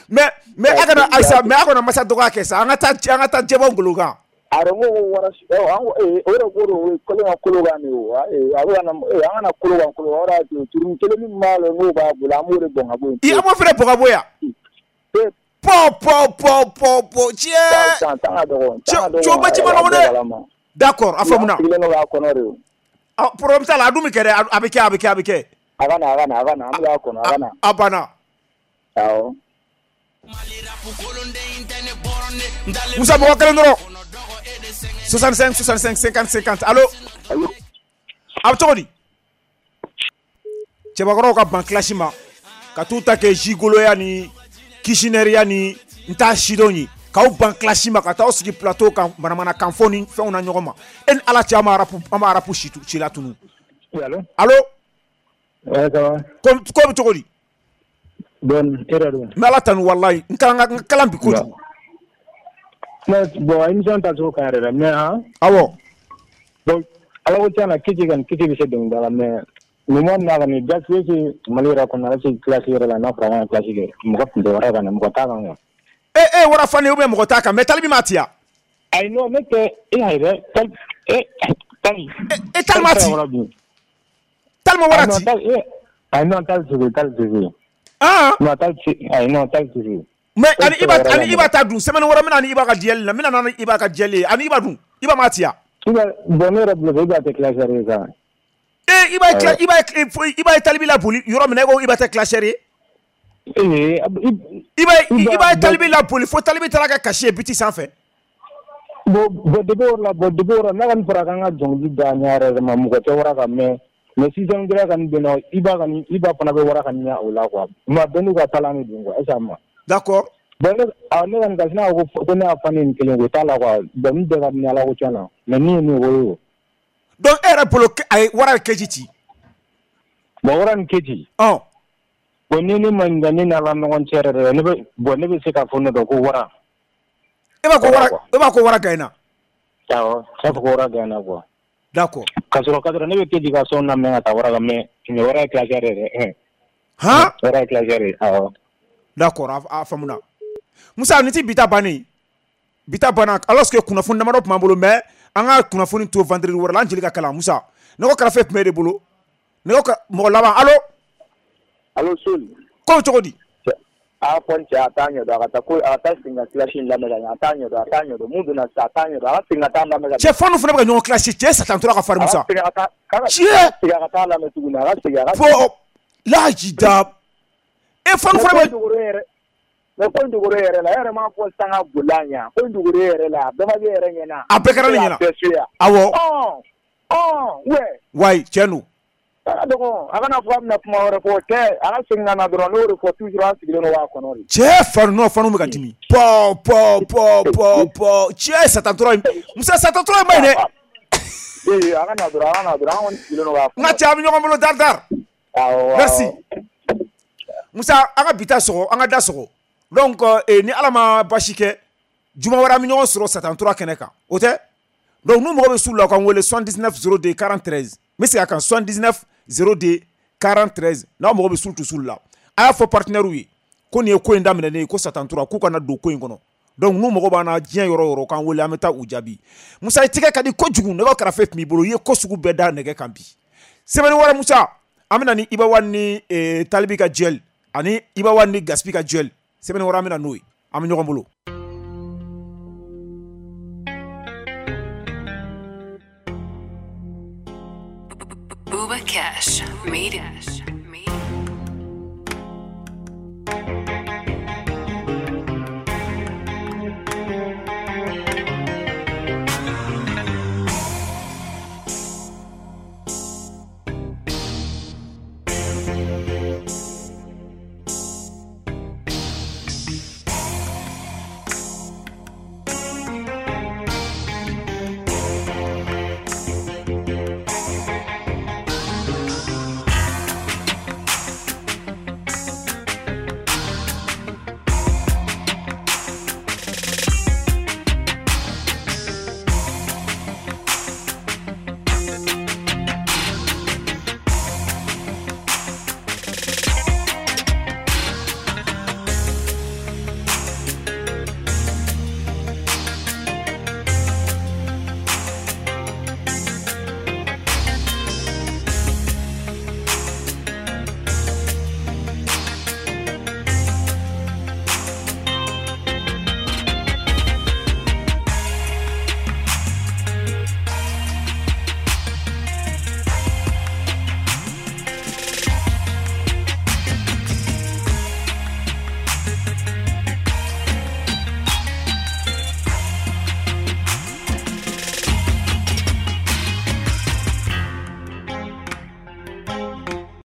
B: mais mais a kana Ayisa mais a kana masa dɔgɔya kɛ sa an ka taa an ka taa jɛbɔ ngolo kan.
I: A ko ko wara an o de ko don kolo ka kolo kan de o a bɛ ka na an kana kolo kan kolo kan o de y'a to turunin kelen min b'a la n'o b'a bolo an b'o de bɔn ka bɔ yen.
B: I an b'o fana bɔn ka bɔ yan. Pɔ pɔ pɔ pɔ pɔ cɛ.
I: Tan tan ka dɔgɔ.
B: Cɛ o bɛ ci ma nɔgɔn dɛ. D'accord a faamuna.
I: An sigilen don k'a kɔnɔ de o.
B: Ah problème t'a la a dun bɛ kɛ dɛ a bɛ kɛ a bɛ kɛ a bɛ kɛ.
I: A ka na a ka na a ka na an bɛ k'a kɔnɔ a ka na.
B: A banna.
I: Awɔ.
B: Musa mɔgɔ kelen dɔrɔn. soixante-cinq soixante-cinq cinquante cinquante allo. A bɛ cogo di? Cɛbakɔrɔw ka ban clash ma ka t'u ta kɛ gigoloya ni kishinɛriya ni n t'a sidɔn ye k'aw ban clash ma ka t'aw sigi plateau kan manamanakan fɔ ni fɛnw na ɲɔgɔn ma e ni Ala cɛ an ma rap an ma rap si latunu.
J: Allo.
B: Allo.
J: Ouais, ça va.
B: Ko ko bɛ cogo di?
J: Bon, e yɛrɛ dun?
B: N bɛ Ala tanu walayi n kalan n kalan bi kojugu.
J: Mais bon émission tacogo ka ɲi yɛrɛ dɛ mais han.
B: Awɔ.
J: Bon Ala ko tiɲɛ na Keji kɔni Keji bɛ se dɔnkilida la mais moment min na kɔni Gaspi est Mali yɛrɛ kɔnɔ est classe yɛrɛ la n'a fɔra an ka classe kɛ mɔgɔ tun tɛ wara kan mɔgɔ t'a kan quoi.
B: E e wara fan ou bien mɔgɔ t'a kan mais Talibi m'a ci ya.
J: Ayi non ne tɛ e y'a ye dɛ Tali e Tali.
B: E Tali m'a ci. Tali ma wara ci.
J: Ayi non Tali tɛ se Tali tɛ se.
B: Ah.
J: Non Tali tɛ ayi non Tali tɛ se.
B: Mais ani Iba ani Iba ta dun semaine wɛrɛ n bɛna ni Iba ka jɛli la n bɛna ni Iba ka jɛli ye ani Iba dun Iba m'a ci ya.
J: Iba bon ne yɛrɛ bolo Iba tɛ classeur ye sa.
B: E Iba ye Iba Iba ye Talibi laboli yɔrɔ min na e ko Iba tɛ classeur ye.
J: Ee
B: Iba Iba ye Talibi laboli fo Talibi taara kɛ kasi ye biti sanfɛ.
J: Bon bon depuis o la bon depuis o la n'a kɔni fɔra k'an ka dɔnkili da ɲɛ yɛrɛ yɛrɛ ma mɔgɔ tɛ wara kan mais mais sixième grade kɔni bɛ yen nɔ Iba kɔni Iba fana bɛ wara kan ɲɛ o la quoi mais bɛɛ n'u ka talent de don quoi est ce que a ma.
B: D'accord.
J: Bon ne ah ne kɔni ka sina ko ko ne y'a fan ni kelen ko t'a la quoi bon min bɛɛ ka di ne Ala ko tiɲɛ na mais min ye min ye o ye o.
B: Donc e yɛrɛ bolo a ye wara ye Keji ci.
J: Bon wara ni Keji.
B: Ɔn.
J: Bon ni ne ma ɲininka ne ni Ala ɲɔgɔn cɛ yɛrɛ yɛrɛ ne bɛ bon ne bɛ se k'a fɔ ne dɔn ko wara.
B: E b'a ko wara e b'a ko wara gagne na.
J: Awɔ ne b'a fɔ ko wara gagne na quoi.
B: D'accord.
J: Ka sɔrɔ ka sɔrɔ ne bɛ Keji ka son lamɛn ka taa wara kan mais mais wara ye classeur yɛrɛ.
B: Han.
J: Wara ye classeur ye awɔ.
B: D'accord a faamuna. Musa ni ti bi ta bannen bi ta banna alors que kunnafoni damadɔ tun b'an bolo mais an ka kunnafoni to vendredi wɛrɛ la an jeli ka kalan Musa nɛgɛ karafe tun bɛ e de bolo nɛgɛ mɔgɔ laban allo.
I: Allo Sol.
B: Ko bɛ cogo di?
I: A fɔ n cɛ a t'a ɲɛdɔn a ka taa ko a ka taa segin ka clash in lamɛn ka ɲɛ a t'a ɲɛdɔn a t'a ɲɛdɔn mun donna sisan a t'a ɲɛdɔn a ka segin ka taa lamɛn ka ɲɛ.
B: Cɛ fanu fana bɛ ka ɲɔgɔn clash cɛ Satan tora ka farin Musa.
I: A ka segin ka taa
B: cɛ
I: segin a ka taa lamɛn tuguni a ka segin a ka.
B: Fo lajida e fanu fana
I: bɛ. Mais ko in dogo yɛrɛ la e yɛrɛ m'a fɔ sisan ka boli a ɲɛ ko in dogo yɛrɛ la a bɛɛ ma kɛ yɛrɛ ɲɛna.
B: A bɛɛ kɛra ne ɲɛna. Awɔ.
I: Ɔn ɔn ouais.
B: Wayi tiɲɛ don.
I: A ka dɔgɔn a kana fɔ a bɛna kuma wɛrɛ fɔ o tɛ a ka segin ka na dɔrɔn n'o de fɔ toujours an sigilen don k'a kɔnɔ de.
B: Cɛ fanu non fanu bɛ ka dimi. Pɔ pɔ pɔ pɔ pɔ cɛ Satan tora in Musa Satan tora in ma ɲi dɛ.
I: Ee a ka na dɔrɔn a ka na dɔrɔn an kɔni sigilen don k'a kɔnɔ.
B: N ka cɛ an bɛ ɲɔgɔn bolo dari dari.
I: Awɔ.
B: Merci. Musa an ka bi ta sɔgɔ an ka da sɔgɔ. Donc eh, ni Ala ma basi kɛ juma wɛrɛ an bɛ ɲɔgɔn sɔrɔ Satan tora kɛnɛ kan o tɛ. Donc n'u mago bɛ su la u k'an wele soixante-dix-neuf zéro deux quarante-treize n bɛ segin a kan soixante-dix-neuf zéro deux quarante-treize n'aw mago bɛ sul tu sul la a y'a fɔ partenaire ye ko nin ye ko in daminɛ ne ye ko Satan tora k'u kana don ko in kɔnɔ. Donc n'u mago b'an na diɲɛ yɔrɔ o yɔrɔ k'an wele an bɛ taa u jaabi. Musa i tɛgɛ ka di kojugu nɛgɛ karafe tun b'i bolo i ye ko sugu bɛɛ da nɛgɛ kan bi. Semaine wɛrɛ Musa an bɛ na ni Iba One ni eh, Talibi ka duel ani Iba One ni Gaspi ka duel. Semaine wɛrɛ an bɛ na n'o ye an bɛ ɲɔgɔn bolo.
K: Booba Cash made it.